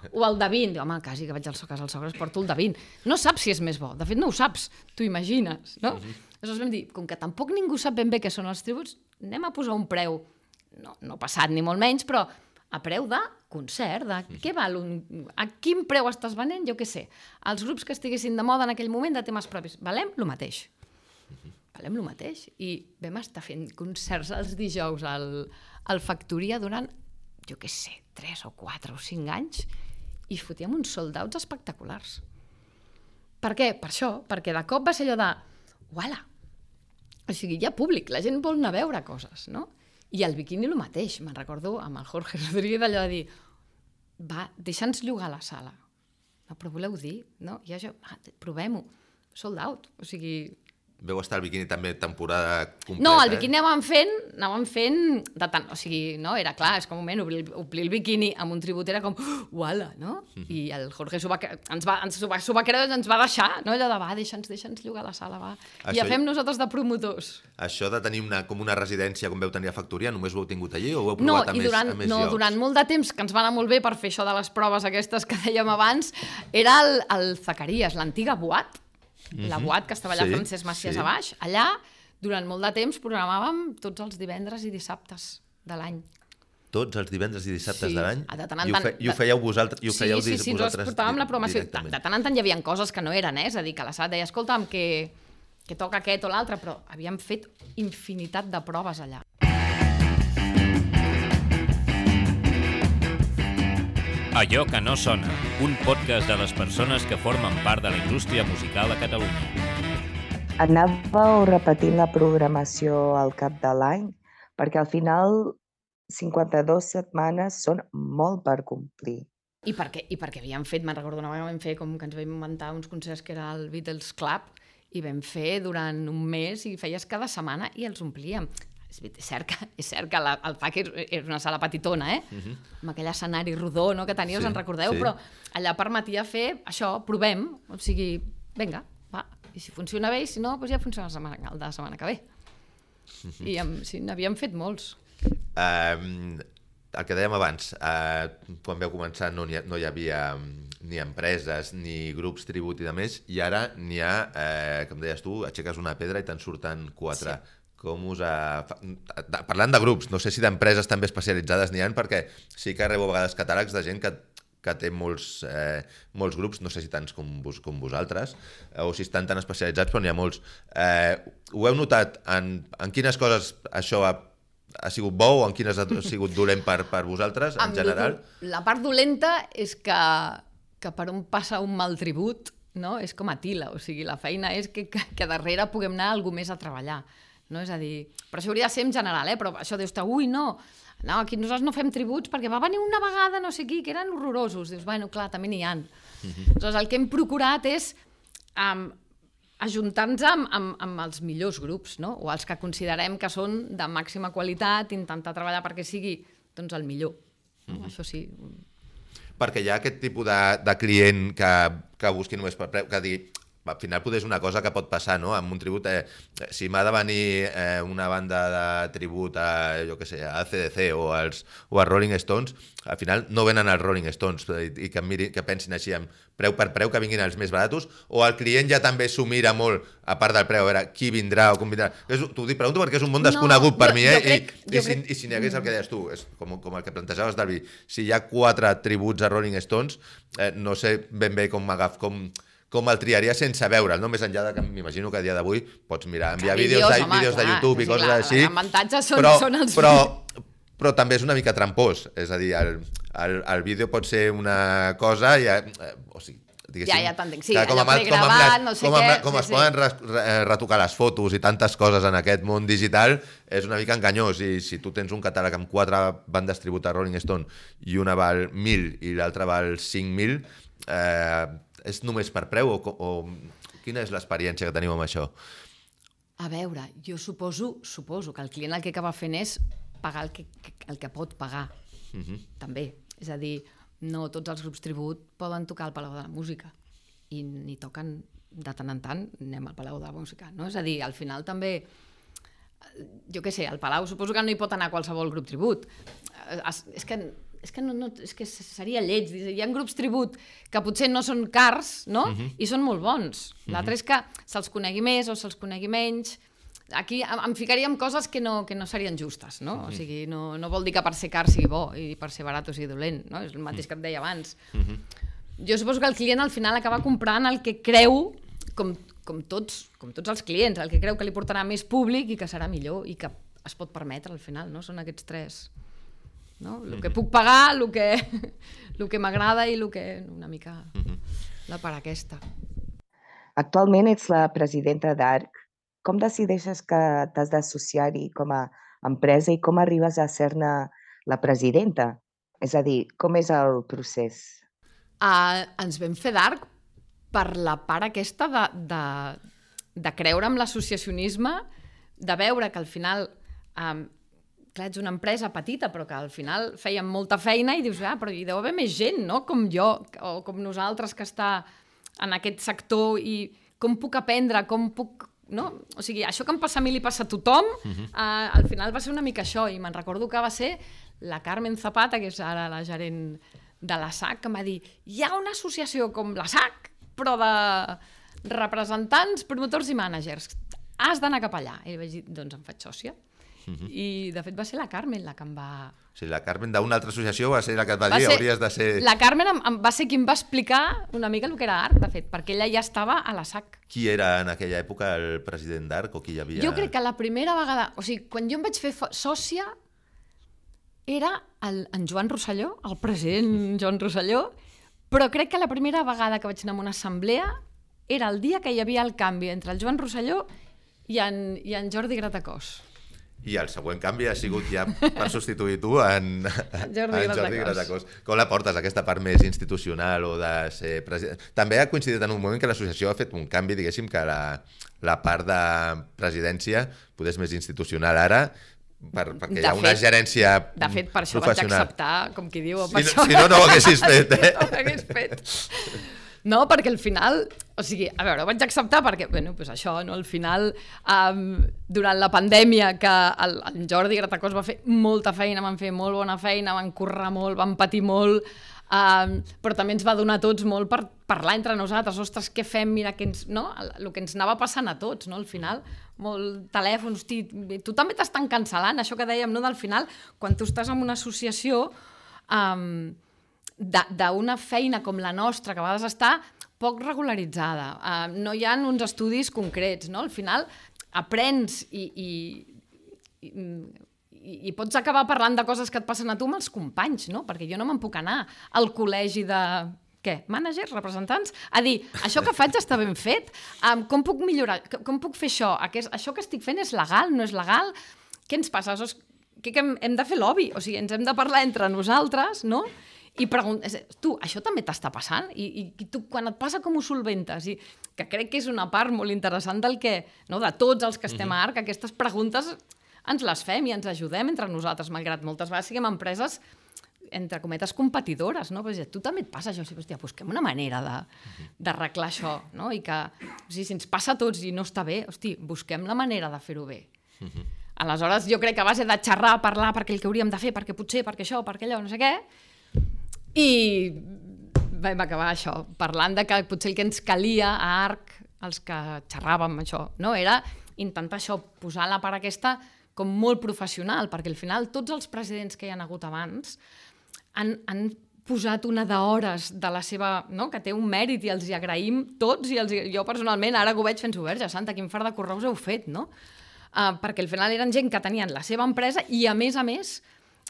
o el de vint? Diu, home, quasi que vaig a casa dels sogres, porto el de vint. No saps si és més bo, de fet no ho saps, t'ho imagines, no? Uh-huh. Aleshores vam dir, com que tampoc ningú sap ben bé què són els tributs, anem a posar un preu, no, no passat ni molt menys, però a preu de concert, de uh-huh. què val un... A quin preu estàs venent, jo què sé. Els grups que estiguessin de moda en aquell moment de temes propis, valem lo mateix. Uh-huh. Valem lo mateix. I vam estar fent concerts els dijous al, al Factoria durant, jo què sé, tres o quatre o cinc anys, i fotíem uns sold-outs espectaculars. Per què? Per això, perquè de cop va ser allò de uala, o sigui, hi ha públic, la gent vol anar a veure coses, no? I el Bikini el mateix, me'n recordo amb el Jorge Rodríguez allò de dir, va, deixa'ns llogar la sala. No, però voleu dir, no? I això, va, provem-ho, sold out, o sigui... Veu estar al Bikini també temporada completa? No, el Bikini anàvem fent, anàvem fent de tant, o sigui, no, era clar, és com un moment, omplir, omplir el Bikini amb un tribut era com, uala, no? Mm-hmm. I el Jorge s'ho va, ens va, ens va, s'ho va creure, ens va deixar, no? Allò de, va, deixa'ns, deixa'ns llogar la sala, va. Això, i ja fem nosaltres de promotors. Això de tenir una, com una residència com veu tenir a Factoria, només ho heu tingut allí o ho heu provat no, a, més, durant, a més no, llocs? Durant molt de temps, que ens va anar molt bé per fer això de les proves aquestes que dèiem abans, era el, el Zacarías, l'antiga Boat, Mm-hmm. la Boat, que estava allà sí, Francesc Macias sí. a baix, allà, durant molt de temps, programàvem tots els divendres i dissabtes de l'any. Tots els divendres i dissabtes sí. de l'any? De tant en I, ho fe, I ho fèieu vosaltres? I ho sí, fèieu sí, sí, vosaltres ens portàvem la programació. De, de tant en tant hi havia coses que no eren, eh? És a dir, que la sala deia, escolta'm, que, que toca aquest o l'altre, però havíem fet infinitat de proves allà. Allò que no sona, un podcast de les persones que formen part de la indústria musical a Catalunya. Anàveu repetint la programació al cap de l'any, perquè al final cinquanta-dues setmanes són molt per complir. I perquè, i perquè havíem fet, me'n recordo una vegada vam fer com que ens vam inventar uns concerts que era el Beatles Club i vam fer durant un mes i feies cada setmana i els omplíem. És cert que, és cert que la, el F A C és una sala petitona, eh? Uh-huh. Amb aquell escenari rodó, no?, que tenia, sí, us en recordeu? Sí. Però allà permetia fer això, provem, o sigui, vinga, va, i si funciona bé, i si no, doncs ja funciona la setmana, el de la setmana que ve. Uh-huh. I amb, sí, n'havíem fet molts. Um, el que dèiem abans, uh, quan vau començar no hi, ha, no hi havia ni empreses, ni grups tribut i de més, i ara n'hi ha, eh, com deies tu, aixeques una pedra i te'n surten quatre. Sí. Com us ha... Parlant de grups, no sé si d'empreses també especialitzades n'hi ha, perquè sí que rebo a vegades catàlegs de gent que, que té molts, eh, molts grups, no sé si tants com, vos, com vosaltres, eh, o si estan tan especialitzats, però n'hi ha molts. Eh, ho heu notat en, en quines coses això ha, ha sigut bo o en quines ha sigut dolent per, per vosaltres, en general? La part dolenta és que, que per on passa un mal tribut, no? És com a tila, o sigui, la feina és que, que, que darrere puguem anar algú més a treballar. No? És a dir, però això hauria de ser en general, eh? Però això dius, ui, no, no, aquí nosaltres no fem tributs perquè va venir una vegada no sé qui, que eren horrorosos. Dius, bueno, clar, també n'hi ha. Uh-huh. Aleshores, el que hem procurat és um, ajuntar-nos amb, amb, amb els millors grups, no? O els que considerem que són de màxima qualitat, intentar treballar perquè sigui doncs, el millor. Uh-huh. Això sí. Perquè hi ha aquest tipus de, de client que, que busqui només per preu, que digui... Al final potser és una cosa que pot passar, no? Amb un tribut, eh, si m'ha de venir eh, una banda de tribut a, jo què sé, a A C D C o als, o a Rolling Stones, al final no venen els Rolling Stones i, i que, miri, que pensin així amb preu per preu, que vinguin els més baratos, o el client ja també s'ho mira molt, a part del preu, a veure qui vindrà o com vindrà. T'ho dic, pregunto perquè és un món desconegut no, per jo, mi, eh? Jo crec, I, i, si, crec... I si n'hi hagués el que deies tu, és com, com el que plantejaves, Dalvi, si hi ha quatre tributs a Rolling Stones, eh, no sé ben bé com m'agaf, com... com el triaria sense veure'l, no? Més enllà de que m'imagino que a dia d'avui pots mirar, enviar vídeos, vídeos, de, home, vídeos clar, de YouTube i coses clar, així. L'avantatge són, però, són els... Però, però també és una mica trampós, és a dir, el, el, el vídeo pot ser una cosa i... Eh, o sigui, ja, ja t'entenc, sí, com allò pregravat, no sé com què... Com sí, es sí. poden re, retocar les fotos i tantes coses en aquest món digital, és una mica enganyós, i si tu tens un catàleg amb quatre bandes tribut a Rolling Stone i una val mil i l'altra val cinc mil, eh, és només per preu o, o quina és l'experiència que teniu amb això? A veure, jo suposo, suposo que el client el que acaba fent és pagar el que, el que pot pagar, uh-huh. també. És a dir, no tots els grups tribut poden tocar al Palau de la Música i ni toquen de tant en tant, anem al Palau de la Música, no? És a dir, al final també, jo què sé, al Palau suposo que no hi pot anar qualsevol grup tribut. És que... És que, no, no, és que seria lleig. Hi ha grups tribut que potser no són cars, no? Uh-huh. I són molt bons. L'altre uh-huh. és que se'ls conegui més o se'ls conegui menys. Aquí em ficaríem coses que no, que no serien justes, no? Uh-huh. O sigui, no, no vol dir que per ser car sigui bo i per ser barat o sigui dolent, no? És el mateix uh-huh. que et deia abans. Uh-huh. Jo suposo que el client al final acaba comprant el que creu, com, com, tots, com tots els clients, el que creu que li portarà més públic i que serà millor i que es pot permetre al final, no? Són aquests tres... No? El que puc pagar, el que, el que m'agrada i el que una mica la part aquesta. Actualment ets la presidenta d'A R C. Com decideixes que t'has d'associar-hi com a empresa i com arribes a ser-ne la presidenta? És a dir, com és el procés? Uh, ens vam fer d'A R C per la part aquesta de, de, de creure en l'associacionisme, de veure que al final... Um, clar, ets una empresa petita, però que al final fèiem molta feina i dius, ah, però hi deu haver més gent, no?, com jo, o com nosaltres que està en aquest sector i com puc aprendre, com puc... No? O sigui, això que em passa a mi li passa a tothom, uh-huh. eh, al final va ser una mica això, i me'n recordo que va ser la Carmen Zapata, que és ara la gerent de la S A C, que em va dir, hi ha una associació com la S A C, però de representants, promotors i mànagers, has d'anar cap allà. I vaig dir, doncs em faig sòcia. Uh-huh. I de fet va ser la Carmen la que em va... O sigui, la Carmen d'una altra associació va ser la que et va, va dir ser... hauries de ser... La Carmen em, em va ser qui em va explicar una mica el que era A R C, de fet, perquè ella ja estava a la S A C. Qui era en aquella època el president d'A R C o qui hi havia? Jo crec que la primera vegada... O sigui, quan jo em vaig fer sòcia era el, en Joan Rosselló, el president Joan Rosselló, però crec que la primera vegada que vaig anar a una assemblea era el dia que hi havia el canvi entre el Joan Rosselló i en, i en Jordi Gratacós. I el següent canvi ha sigut ja per substituir tu en, Jordi en Jordi Gratacós. Com la portes, aquesta part més institucional o de ser president? També ha coincidit en un moment que l'associació ha fet un canvi, diguéssim, que la, la part de presidència potser és més institucional ara, per, perquè de hi ha fet, una gerència professional. De fet, per això vaig acceptar, com qui diu... Si, això... si no, no ho haguessis fet, eh? No ho hagués fet. No, perquè al final, o sigui, a veure, ho vaig acceptar perquè, bueno, doncs això, no, al final, um, durant la pandèmia, que el, el Jordi Gratacós va fer molta feina, van fer molt bona feina, van currar molt, van patir molt, um, però també ens va donar a tots molt per parlar entre nosaltres, ostres, què fem, mira, que ens, no? El que ens anava passant a tots, no? Al final, molt telèfon, hosti, tu també t'estan cancel·lant, això que dèiem, no? Del final, quan tu estàs en una associació... Um, d'una feina com la nostra, que a vegades està poc regularitzada. Uh, no hi ha uns estudis concrets, no? Al final aprens i, i, i, i pots acabar parlant de coses que et passen a tu amb els companys, no? Perquè jo no me'n puc anar al col·legi de... Què? Mànagers? Representants? A dir, això que faig està ben fet? Um, com puc millorar? Com puc fer això? Aquest, això que estic fent és legal? No és legal? Què ens passa? Que, que hem, hem de fer lobby? O sigui, ens hem de parlar entre nosaltres, no? I preguntes, tu, això també t'està passant? I, i tu, quan et passa, com ho solventes? I que crec que és una part molt interessant del que, no, de tots els que estem a ARC, aquestes preguntes ens les fem i ens ajudem entre nosaltres, malgrat moltes vegades siguem empreses, entre cometes, competidores, no? Però, tu també et passa això, o sigui, hòstia, busquem una manera d'arreglar això, no? I que, o sigui, si ens passa a tots i no està bé, hosti, busquem la manera de fer-ho bé. Uh-huh. Aleshores, jo crec que a base de xerrar, parlar, perquè el que hauríem de fer, perquè potser, perquè això, perquè allò, no sé què, i vam acabar això, parlant de que potser el que ens calia a ARC, els que xerràvem això, no? Era intentar això, posar la part aquesta com molt professional, perquè al final tots els presidents que hi ha hagut abans han, han posat una d'hores de la seva, no? Que té un mèrit i els hi agraïm tots, i els, jo personalment ara que ho veig fent-ho, verge santa, quin fart de correus heu fet, no? Uh, perquè al final eren gent que tenien la seva empresa i a més a més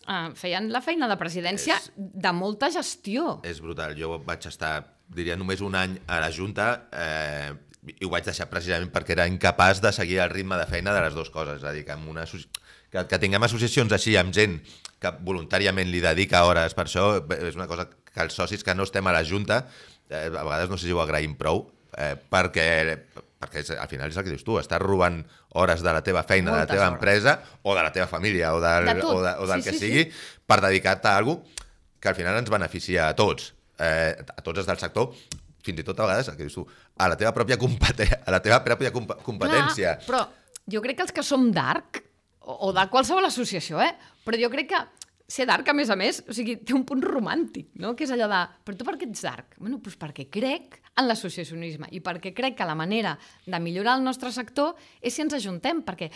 Uh, feien la feina de presidència és, de molta gestió. És brutal. Jo vaig estar, diria, només un any a la Junta eh, i ho vaig deixar precisament perquè era incapaç de seguir el ritme de feina de les dues coses. És a dir, que, amb una, que, que tinguem associacions així amb gent que voluntàriament li dedica hores per això, és una cosa que els socis que no estem a la Junta eh, a vegades no sé si ho agraïm prou, eh, perquè... perquè al final és el que dius tu, estàs robant hores de la teva feina, moltes de la teva hores. Empresa o de la teva família o del, de o de, o del sí, que sí, sigui sí. Per dedicar-te a alguna cosa que al final ens beneficia a tots, eh, a tots els del sector, fins i tot a vegades, el que dius tu, a la teva pròpia, competen a la teva pròpia comp competència. Clar, però jo crec que els que som d'ARC, o, o de qualsevol associació, eh? Però jo crec que ser d'ARC, a més a més, o sigui, té un punt romàntic, no? Que és allò de, però tu per què ets d'ARC? Bueno, doncs perquè crec en l'associacionisme i perquè crec que la manera de millorar el nostre sector és si ens ajuntem, perquè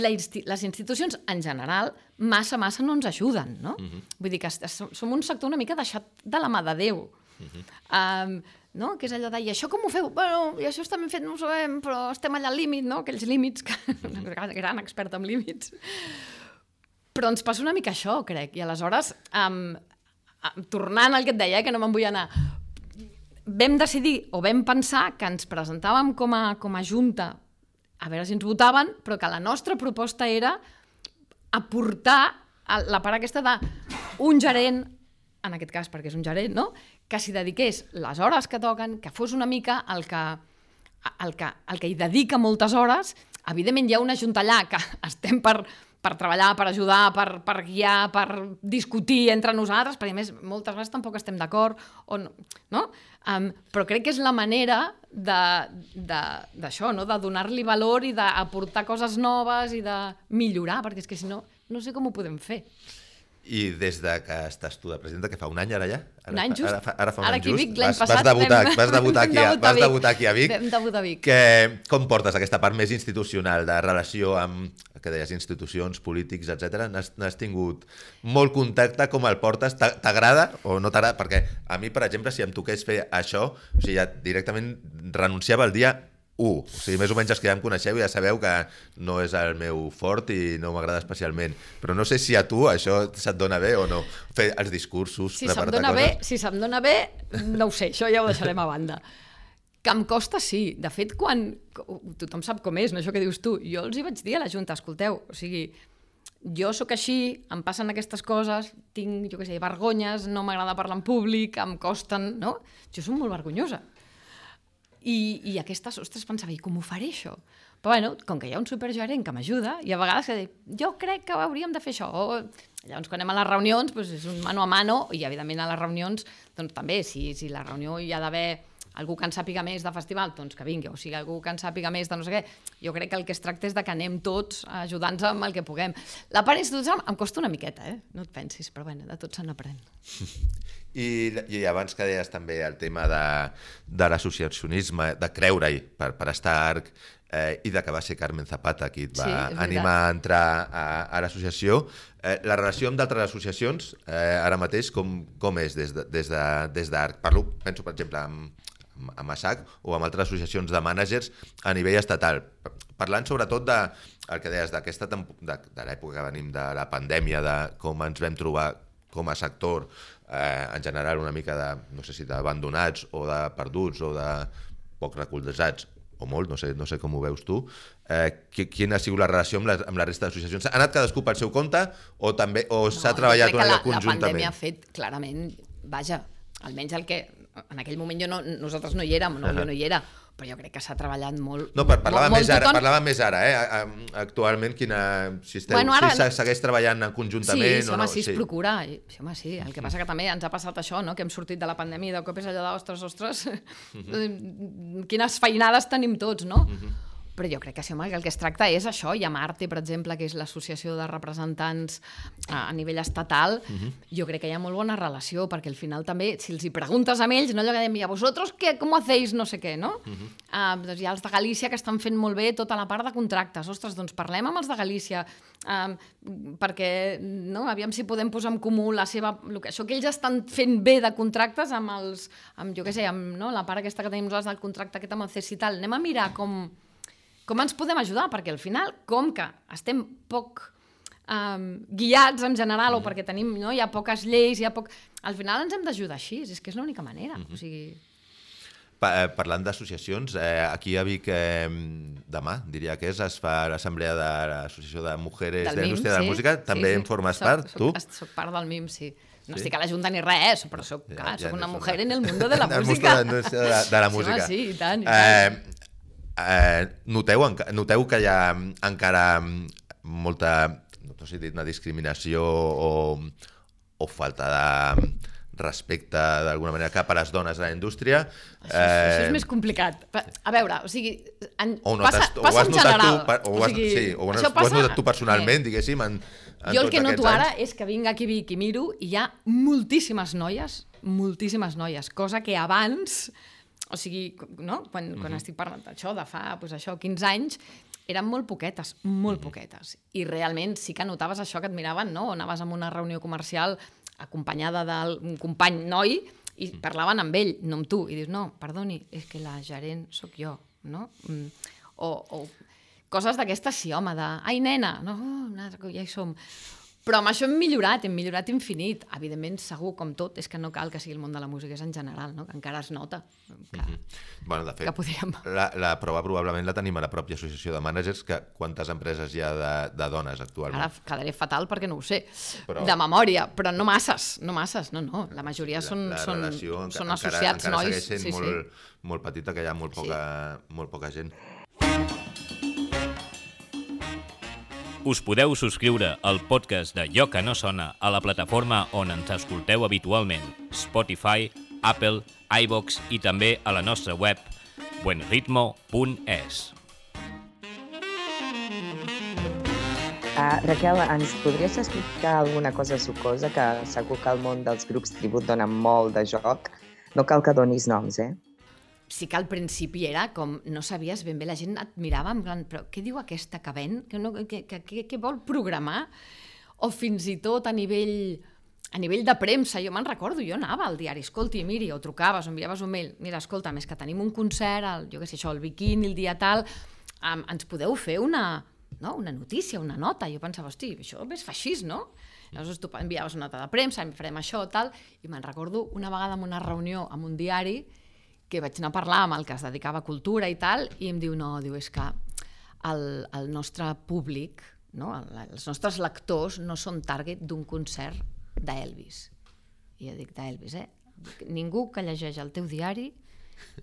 la insti les institucions, en general, massa, massa no ens ajuden, no? Uh-huh. Vull dir que som un sector una mica deixat de la mà de Déu. Uh-huh. um, no? Que és allò de, i això com ho feu? Bueno, i això està ben fet, no ho sabem, però estem allà al límit, no? Aquells límits, que uh-huh. gran experta en límits. Però ens passa una mica això, crec. I aleshores, um, tornant al que et deia, eh, que no me'n vull anar, vam decidir o vam pensar que ens presentàvem com a, com a junta, a veure si ens votaven, però que la nostra proposta era aportar la part aquesta d'un gerent, en aquest cas perquè és un gerent, no? Que s'hi dediqués les hores que toquen, que fos una mica el que, el que, el que hi dedica moltes hores. Evidentment hi ha una junta allà que estem per... per treballar, per ajudar, per, per guiar, per discutir entre nosaltres, perquè a més moltes vegades tampoc estem d'acord, no? Um, però crec que és la manera d'això, no? De donar-li valor i d'aportar coses noves i de millorar, perquè és que si no, no sé com ho podem fer. I des de que estàs tu de presidenta, que fa un any ara ja? Ara, un any just. Ara fa, ara fa un ara any just. Vic, l'any vas, passat vas debutar, vam... vas debutar, aquí, a, vas debutar aquí a Vic. Vam debutar a Vic. Que, com portes aquesta part més institucional de relació amb, que deies, institucions, polítics, etcètera? N'has tingut molt contacte, com el portes? T'agrada o no t'agrada? Perquè a mi, per exemple, si em toqués fer això, o sigui, ja directament renunciava el dia u. O sigui, més o menys els que ja em coneixeu ja sabeu que no és el meu fort i no m'agrada especialment. Però no sé si a tu això se't dona bé o no. Fer els discursos, si preparar-te coses... Bé, si se'm dona bé, no ho sé, això ja ho deixarem a banda. Que em costa, sí. De fet, quan... Tothom sap com és, no? Això que dius tu. Jo els hi vaig dir a la Junta, escolteu, o sigui, jo sóc així, em passen aquestes coses, tinc, jo què sé, vergonyes, no m'agrada parlar en públic, em costen, no? Jo soc molt vergonyosa. I, i aquestes, ostres, pensava, i com ho faré això? Però bueno, com que hi ha un supergerent que m'ajuda, i a vegades que dic, jo crec que hauríem de fer això. O, llavors, quan anem a les reunions, doncs és un mano a mano, i evidentment a les reunions, doncs també, si, si la reunió hi ha d'haver algú que en sàpiga més de festival, doncs que vingui, o sigui, algú que en sàpiga més de no sé què. Jo crec que el que es tracta és de que anem tots ajudant-nos amb el que puguem. La part institucional em costa una miqueta, eh? No et pensis, però bueno, de tot se n'aprèn. I, I abans que deies també el tema de, de l'associacionisme, de creure-hi per, per estar a Arc, eh, i de que va ser Carmen Zapata qui et va sí, animar a entrar a, a l'associació. Eh, la relació amb d'altres associacions, eh, ara mateix, com, com és des d'Arc? De, des de, des de Parlo, penso, per exemple, amb amb A S A C o amb altres associacions de mànagers a nivell estatal. Parlant sobretot de, el que deies, d'aquesta de, de l'època que venim de la pandèmia, de com ens vam trobar com a sector, eh, en general una mica de, no sé si d'abandonats o de perduts o de poc recolzats, o molt, no sé, no sé com ho veus tu. Eh, quina ha sigut la relació amb la, amb la resta d'associacions? Ha anat cadascú pel seu compte o també o s'ha no, treballat una mica conjuntament? La pandèmia ha fet clarament, vaja, almenys el que en aquell moment jo no, nosaltres no hi érem, no, uh -huh. jo no hi era, però jo crec que s'ha treballat molt... No, per, parlava, molt, més molt ara, tothom... parlava més ara, eh? Actualment, quina, si, esteu, bueno, ara... si segueix treballant conjuntament... Sí, sí, o home, no? sí, es sí. procura. Sí, home, sí. El que passa que també ens ha passat això, no? Que hem sortit de la pandèmia i de cop és allò de, ostres, ostres, uh -huh. quines feinades tenim tots, no? Uh -huh. Però jo crec que, sí, home, que el que es tracta és això, i amb Arte, per exemple, que és l'associació de representants a, a nivell estatal, uh-huh. jo crec que hi ha molt bona relació, perquè al final també, si els hi preguntes a ells, no allò que dèiem, a vosaltres, què, com ho hacéis, no sé què, no? Uh-huh. uh, doncs hi ha els de Galícia que estan fent molt bé tota la part de contractes. Ostres, doncs parlem amb els de Galícia, uh, perquè, no, aviam si podem posar en comú la seva, que, això que ells estan fent bé de contractes amb els, amb, jo què sé, amb no, la part aquesta que tenim nosaltres del contracte aquest amb el C E S i tal. Anem a mirar com... com ens podem ajudar, perquè al final, com que estem poc um, guiats en general, mm. o perquè tenim, no, hi ha poques lleis, hi ha poc... al final ens hem d'ajudar així, és que és l'única manera. Mm-hmm. O sigui... Pa, parlant d'associacions, eh, aquí a Vic eh, demà, diria que és, es fa l'assemblea de l'Associació de Mujeres de la Indústria sí, de la Música, també sí, sí. en formes soc, part, soc, tu? Soc part del M I M, sí. No sí? estic a la Junta ni res, però soc, ja, clar, ja soc no una una... mujer en el mundo de la música. De, de, la, de la música. Sí, home, sí, i tant, i tant. Eh, Eh, noteu, noteu que hi ha encara molta, no sé si dir, una discriminació o, o falta de respecte d'alguna manera cap a les dones a la indústria? Això, eh... això és més complicat. A veure, o sigui, en, o passa, o passa en general. Tu, o, o, has, o, sigui, sí, o, has, passa... o has notat tu personalment, eh. diguéssim, en, en jo el que noto anys. ara és que vinc aquí a Vic i miro i hi ha moltíssimes noies, moltíssimes noies, cosa que abans... O sigui, no? quan, quan uh-huh. estic parlant d'això, de fa pues, això, quinze anys, eren molt poquetes, molt uh-huh. poquetes. I realment sí que notaves això que et miraven, no? Anaves a una reunió comercial acompanyada d'un company noi i uh-huh. parlaven amb ell, no amb tu. I dius, no, perdoni, és que la gerent sóc jo, no? O, o coses d'aquestes, sí, home, de, ai, nena, no, oh, ja hi som. Però amb això hem millorat, hem millorat infinit. Evidentment, segur, com tot, és que no cal que sigui el món de la música, és en general, no? Que encara es nota. Que, mm-hmm. bueno, de fet, que podríem... la, la prova probablement la tenim a la pròpia associació de mànagers, que quantes empreses hi ha de, de dones actualment? Ara quedaré fatal perquè no ho sé, però... de memòria, però no masses, no masses, no, no. La majoria són, la, la són, relació, són encara, associats encara nois. segueix sent sí, molt, sí. molt petita, que hi ha molt poca, sí. molt poca gent. Us podeu subscriure al podcast de Allò que no sona a la plataforma on ens escolteu habitualment, Spotify, Apple, iVoox i també a la nostra web buen ritmo punt es. Uh, Raquel, ens podries explicar alguna cosa sucosa, que segur que el món dels grups tribut dona molt de joc. No cal que donis noms, eh? Sí que al principi era com, no sabies ben bé, la gent et mirava en plan, però què diu aquesta que ven? Que, no, que, que, que, que vol programar? O fins i tot a nivell, a nivell de premsa, jo me'n recordo, jo anava al diari, escolti, miri, o trucaves, o enviaves un mail, mira, escolta, més que tenim un concert, el, jo què sé, això, el biquini, el dia tal, um, ens podeu fer una, no, una notícia, una nota? Jo pensava, hosti, això és feixís, no? Llavors tu enviaves una nota de premsa, farem això, tal, i me'n recordo una vegada en una reunió amb un diari que vaig anar a parlar amb el que es dedicava a cultura i tal, i em diu, no, diu, és que el, el nostre públic no? Els nostres lectors no són target d'un concert d'Elvis. I jo dic d'Elvis, eh? Ningú que llegeix el teu diari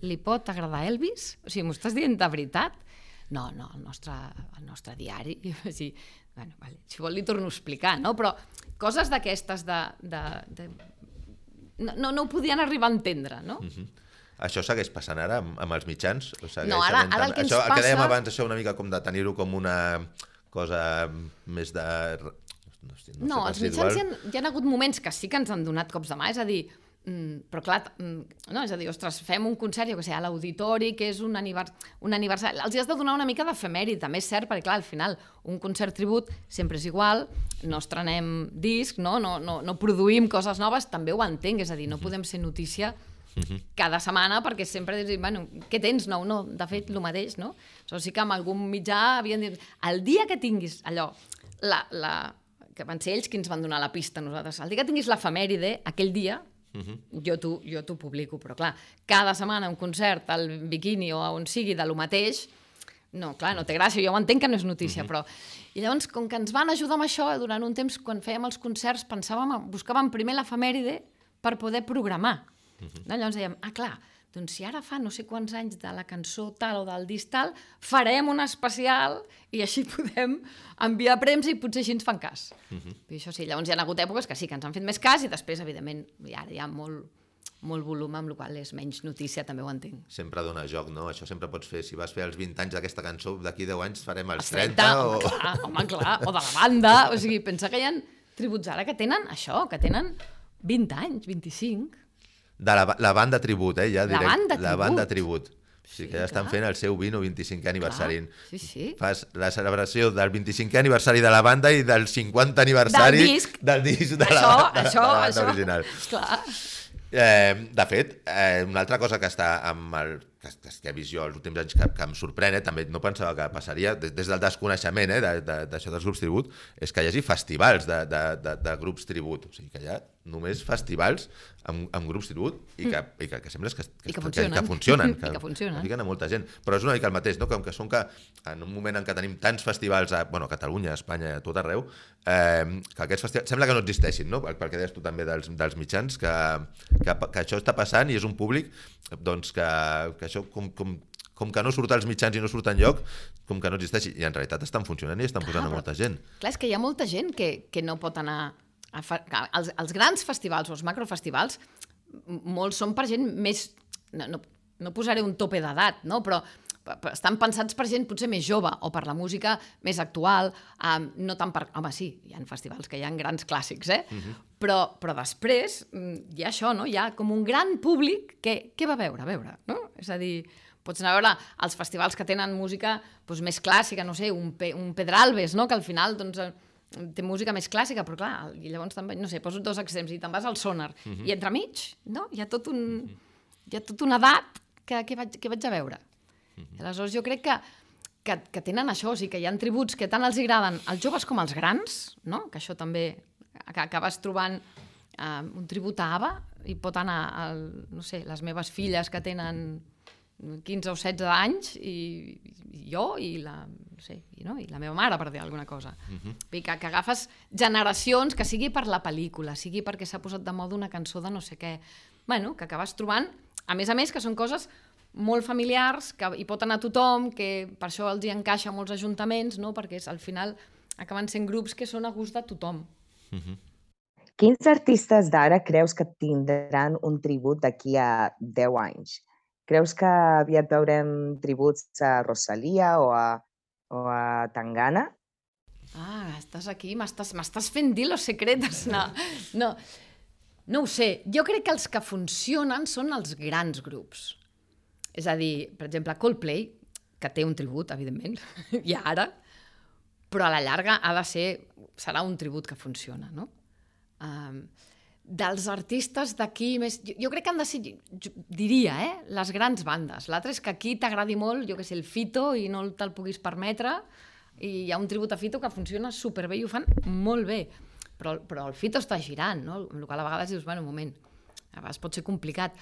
li pot agradar Elvis? O sigui, m'ho estàs dient de veritat? No, no, el nostre, el nostre diari... Sí, bueno, vale, si vol li torno a explicar, no? Però coses d'aquestes de... de, de... No, no ho podien arribar a entendre, no? Uh-huh. Això segueix passant ara amb, amb els mitjans? O No, ara, ara el que ens això, passa... El que dèiem abans, això una mica com de tenir-ho com una cosa més de... No, sé, no, no sé, els mitjans hi ha, hi ha hagut moments que sí que ens han donat cops de mà, és a dir, mm, però clar, mm, no, és a dir, ostres, fem un concert, jo què sé, a l'auditori, que és un, anivers, un aniversari, els hi has de donar una mica d'efemèrit, també és cert, perquè clar, al final, un concert tribut sempre és igual, no estrenem disc, no, no, no, no produïm coses noves, també ho entenc, és a dir, no podem ser notícia cada setmana, perquè sempre dius, bueno, què tens nou? No, de fet, el mateix, no? O sigui que amb algun mitjà havien dit, el dia que tinguis allò, la... la que van ser ells qui ens van donar la pista a nosaltres. El dia que tinguis l'efemèride, aquell dia, uh-huh. jo t'ho publico, però clar, cada setmana un concert al Bikini o on sigui de lo mateix, no, clar, no té gràcia, jo ho entenc que no és notícia, uh-huh. però... I llavors, com que ens van ajudar amb això, durant un temps, quan fèiem els concerts, pensàvem, buscàvem primer l'efemèride per poder programar. Uh-huh. No? Llavors dèiem, ah, clar, doncs si ara fa no sé quants anys de la cançó tal o del disc tal, farem un especial i així podem enviar premsa i potser així ens fan cas. Uh-huh. I això sí, llavors hi ha hagut èpoques que sí, que ens han fet més cas i després, evidentment, ara hi ha molt, molt volum, amb la qual és menys notícia, també ho entenc. Sempre dona joc, no? Això sempre pots fer, si vas fer els vint anys d'aquesta cançó, d'aquí deu anys farem els trenta, trenta o... Home, clar, home, clar, o de la banda, o sigui, pensa que hi ha tributs ara que tenen això, que tenen vint anys, vint-i-cinc... De la, la banda tribut, eh? Ja direct, la banda tribut. La banda tribut. O sigui sí, que ja estan clar. fent el seu vint o vint-i-cinquè aniversari. Clar, sí, sí. Fas la celebració del vint-i-cinquè aniversari de la banda i del cinquanta aniversari del disc, del disc de, això, la, de, això, de la banda això. original. Clar. Eh, de fet, eh, una altra cosa que està amb el, que, que he vist jo els últims anys que, que em sorprèn, eh, també no pensava que passaria, des, des del desconeixement eh, d'això de, de, dels grups tribut, és que hi hagi festivals de, de, de, de grups tribut, o sigui que hi ha només festivals amb, amb grups tribut i que, mm. i que, que sembla que, que, I que que, funcionen, que funcionen, que, I que funcionen. que fiquen a molta gent, però és una mica el mateix, no? Com que són que en un moment en què tenim tants festivals a, bueno, a Catalunya, a Espanya, a tot arreu, eh, que aquests festivals sembla que no existeixin, no? Perquè deies tu també dels, dels mitjans, que, que, que això està passant i és un públic doncs, que, que això com, com, com que no surt als mitjans i no surt enlloc, com que no existeixi, i en realitat estan funcionant i estan posant ah, a molta gent. Clar, és que hi ha molta gent que, que no pot anar... A fa... els, els grans festivals o els macrofestivals, molts són per gent més... No, no, no posaré un tope d'edat, no? Però estan pensats per gent potser més jove o per la música més actual, um, no tant per... Home, sí, hi ha festivals que hi ha grans clàssics, eh? Uh-huh. però, però després hi ha això, no? Hi ha com un gran públic que què va a veure? A veure, no? És a dir, pots anar a veure els festivals que tenen música doncs, més clàssica, no sé, un, Pe un Pedralbes, no? Que al final doncs, té música més clàssica, però clar, i llavors també, no sé, poso dos extrems, i te'n vas al Sonar, uh-huh. i entremig, no? Hi ha tot un... Uh-huh. Hi ha tota una edat que, que, vaig, que vaig a veure. Uh-huh. Aleshores, jo crec que, que, que tenen això, o sigui, que hi ha tributs que tant els agraden als joves com als grans, no? Que això també, que acabes trobant uh, un tribut a ABBA i pot anar, al, no sé, les meves filles que tenen quinze o setze anys i, i jo i la, no sé, i, no? I la meva mare, per dir alguna cosa. Uh-huh. que, que agafes generacions, que sigui per la pel·lícula, sigui perquè s'ha posat de moda una cançó de no sé què, bueno, que acabes trobant, a més a més, que són coses molt familiars, que hi pot anar tothom, que per això els hi encaixa molts ajuntaments, no? Perquè és, al final acaben sent grups que són a gust de tothom. Uh-huh. Quins artistes d'ara creus que tindran un tribut d'aquí a deu anys? Creus que aviat veurem tributs a Rosalia o a, o a Tangana? Ah, estàs aquí, m'estàs fent dir los secretos. No, no, no ho sé. Jo crec que els que funcionen són els grans grups. És a dir, per exemple, Coldplay, que té un tribut, evidentment, i ara, però a la llarga ha de ser, serà un tribut que funciona, no? Um, dels artistes d'aquí més... Jo, jo crec que han de ser, jo, diria, eh, les grans bandes. L'altre és que aquí t'agradi molt, jo què sé, el Fito, i no te'l puguis permetre, i hi ha un tribut a Fito que funciona superbé i ho fan molt bé. Però, però el Fito està girant, no? Amb el qual a vegades dius, bueno, un moment, a vegades pot ser complicat.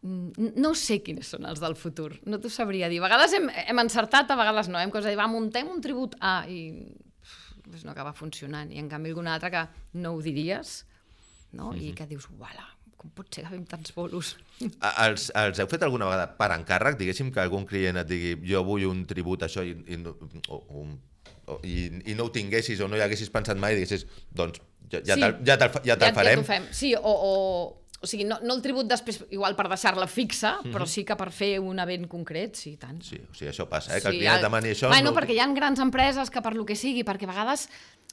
No sé quins són els del futur, no t'ho sabria dir. A vegades hem, hem encertat, a vegades no. Hem cosa de dir, va, muntem un tribut A, i doncs no acaba funcionant. I en canvi alguna altra que no ho diries, no? I que dius, uala, com pot ser que fem tants bolos? Els, els heu fet alguna vegada per encàrrec? Diguéssim que algun client et digui jo vull un tribut a això i, i, no, o, un, o, i, i no ho tinguessis o no hi haguessis pensat mai i diguessis, doncs ja, ja, sí. te'l, ja, te'l, ja te'l ja, farem. Ja fem. Sí, o, o, o sigui, no, no el tribut després igual per deixar-la fixa, mm-hmm. però sí que per fer un event concret, sí, tant. Sí, o sigui, això passa, eh? Que sí, el client el... demani això... Bueno, no... perquè hi ha grans empreses que per lo que sigui, perquè a vegades...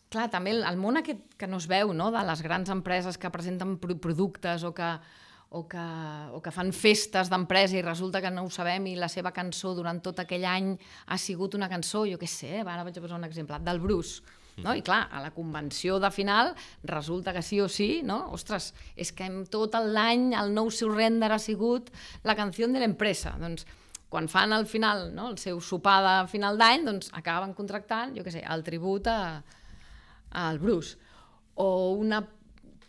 Clar, també el, el món aquest que no es veu, no?, de les grans empreses que presenten pro productes o que, o que, o que fan festes d'empresa i resulta que no ho sabem i la seva cançó durant tot aquell any ha sigut una cançó, jo què sé, ara vaig a posar un exemple, del Bruce, no? I clar, a la convenció de final resulta que sí o sí, no? Ostres, és que tot l'any el nou surrender ha sigut la canció de l'empresa. Doncs quan fan al final, no?, el seu sopar de final d'any, doncs acaben contractant, jo què sé, el tribut a al Bruce, o una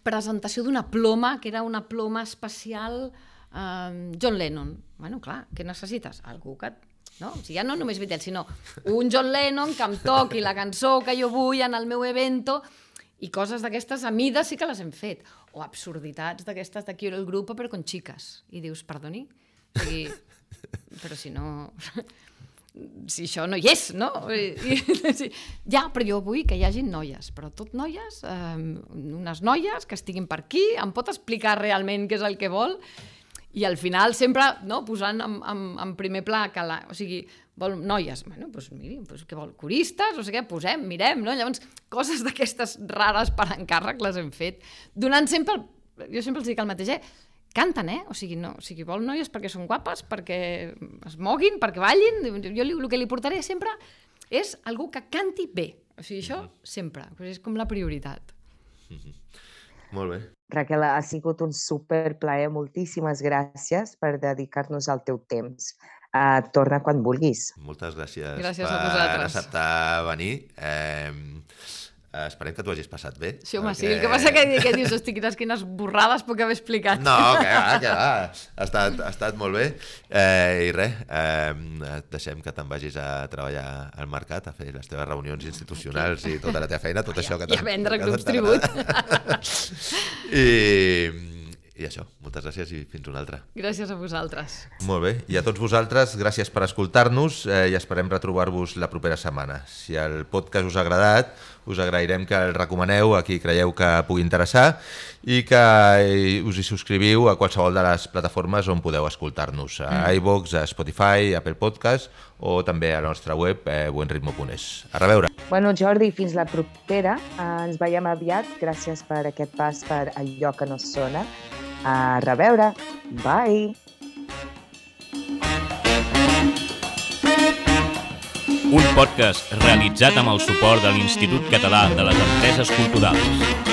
presentació d'una ploma, que era una ploma especial eh, John Lennon. Bueno, clar, què necessites? Algú que... No? O sigui, ja no només Beatles, sinó un John Lennon que em toqui la cançó que jo vull en el meu evento, i coses d'aquestes a mida sí que les hem fet. O absurditats d'aquestes de Quiero el grupo però con chicas. I dius, perdoni? O sigui, però si no... si això no hi és, no? I, i, ja, però jo vull que hi hagi noies, però tot noies, eh, unes noies que estiguin per aquí, em pot explicar realment què és el que vol? I al final sempre, no?, posant en, en, en primer pla que la, o sigui, vol noies, bueno, doncs miri, doncs què vol, coristes, o sigui, què posem, mirem, no? Llavors, coses d'aquestes rares per encàrrec les hem fet, donant sempre, jo sempre els dic el mateix, eh? Canten, eh? O sigui, no, o sigui, vol noies perquè són guapes, perquè es moguin, perquè ballin. Jo li, el que li portaré sempre és algú que canti bé. O sigui, això sempre. És com la prioritat. Mm-hmm. Molt bé. Raquel, ha sigut un superplaer. Moltíssimes gràcies per dedicar-nos al teu temps. Uh, torna quan vulguis. Moltes gràcies, gràcies per acceptar venir. Eh, Esperem que t'ho hagis passat bé. Sí, home, perquè... sí. El que passa que, que dius, hosti, quines, quines borrades puc haver explicat. No, que va, que va. Ha estat, ha estat molt bé. Eh, I res, eh, et deixem que te'n vagis a treballar al mercat, a fer les teves reunions institucionals i tota la teva feina, tot això que t'ha... I a vendre clubs tribut. I... I això, moltes gràcies i fins una altra. Gràcies a vosaltres. Molt bé, i a tots vosaltres, gràcies per escoltar-nos eh, i esperem retrobar-vos la propera setmana. Si el podcast us ha agradat, us agrairem que el recomaneu a qui creieu que pugui interessar i que us hi subscriviu a qualsevol de les plataformes on podeu escoltar-nos, a mm. iVoox, a Spotify, Apple Podcast o també a la nostra web eh, buenritmo punt es. A reveure! Bueno, Jordi, fins la propera. Uh, ens veiem aviat. Gràcies per aquest pas per allò que no sona. A reveure. Bye! Un podcast realitzat amb el suport de l'Institut Català de les Empreses Culturals.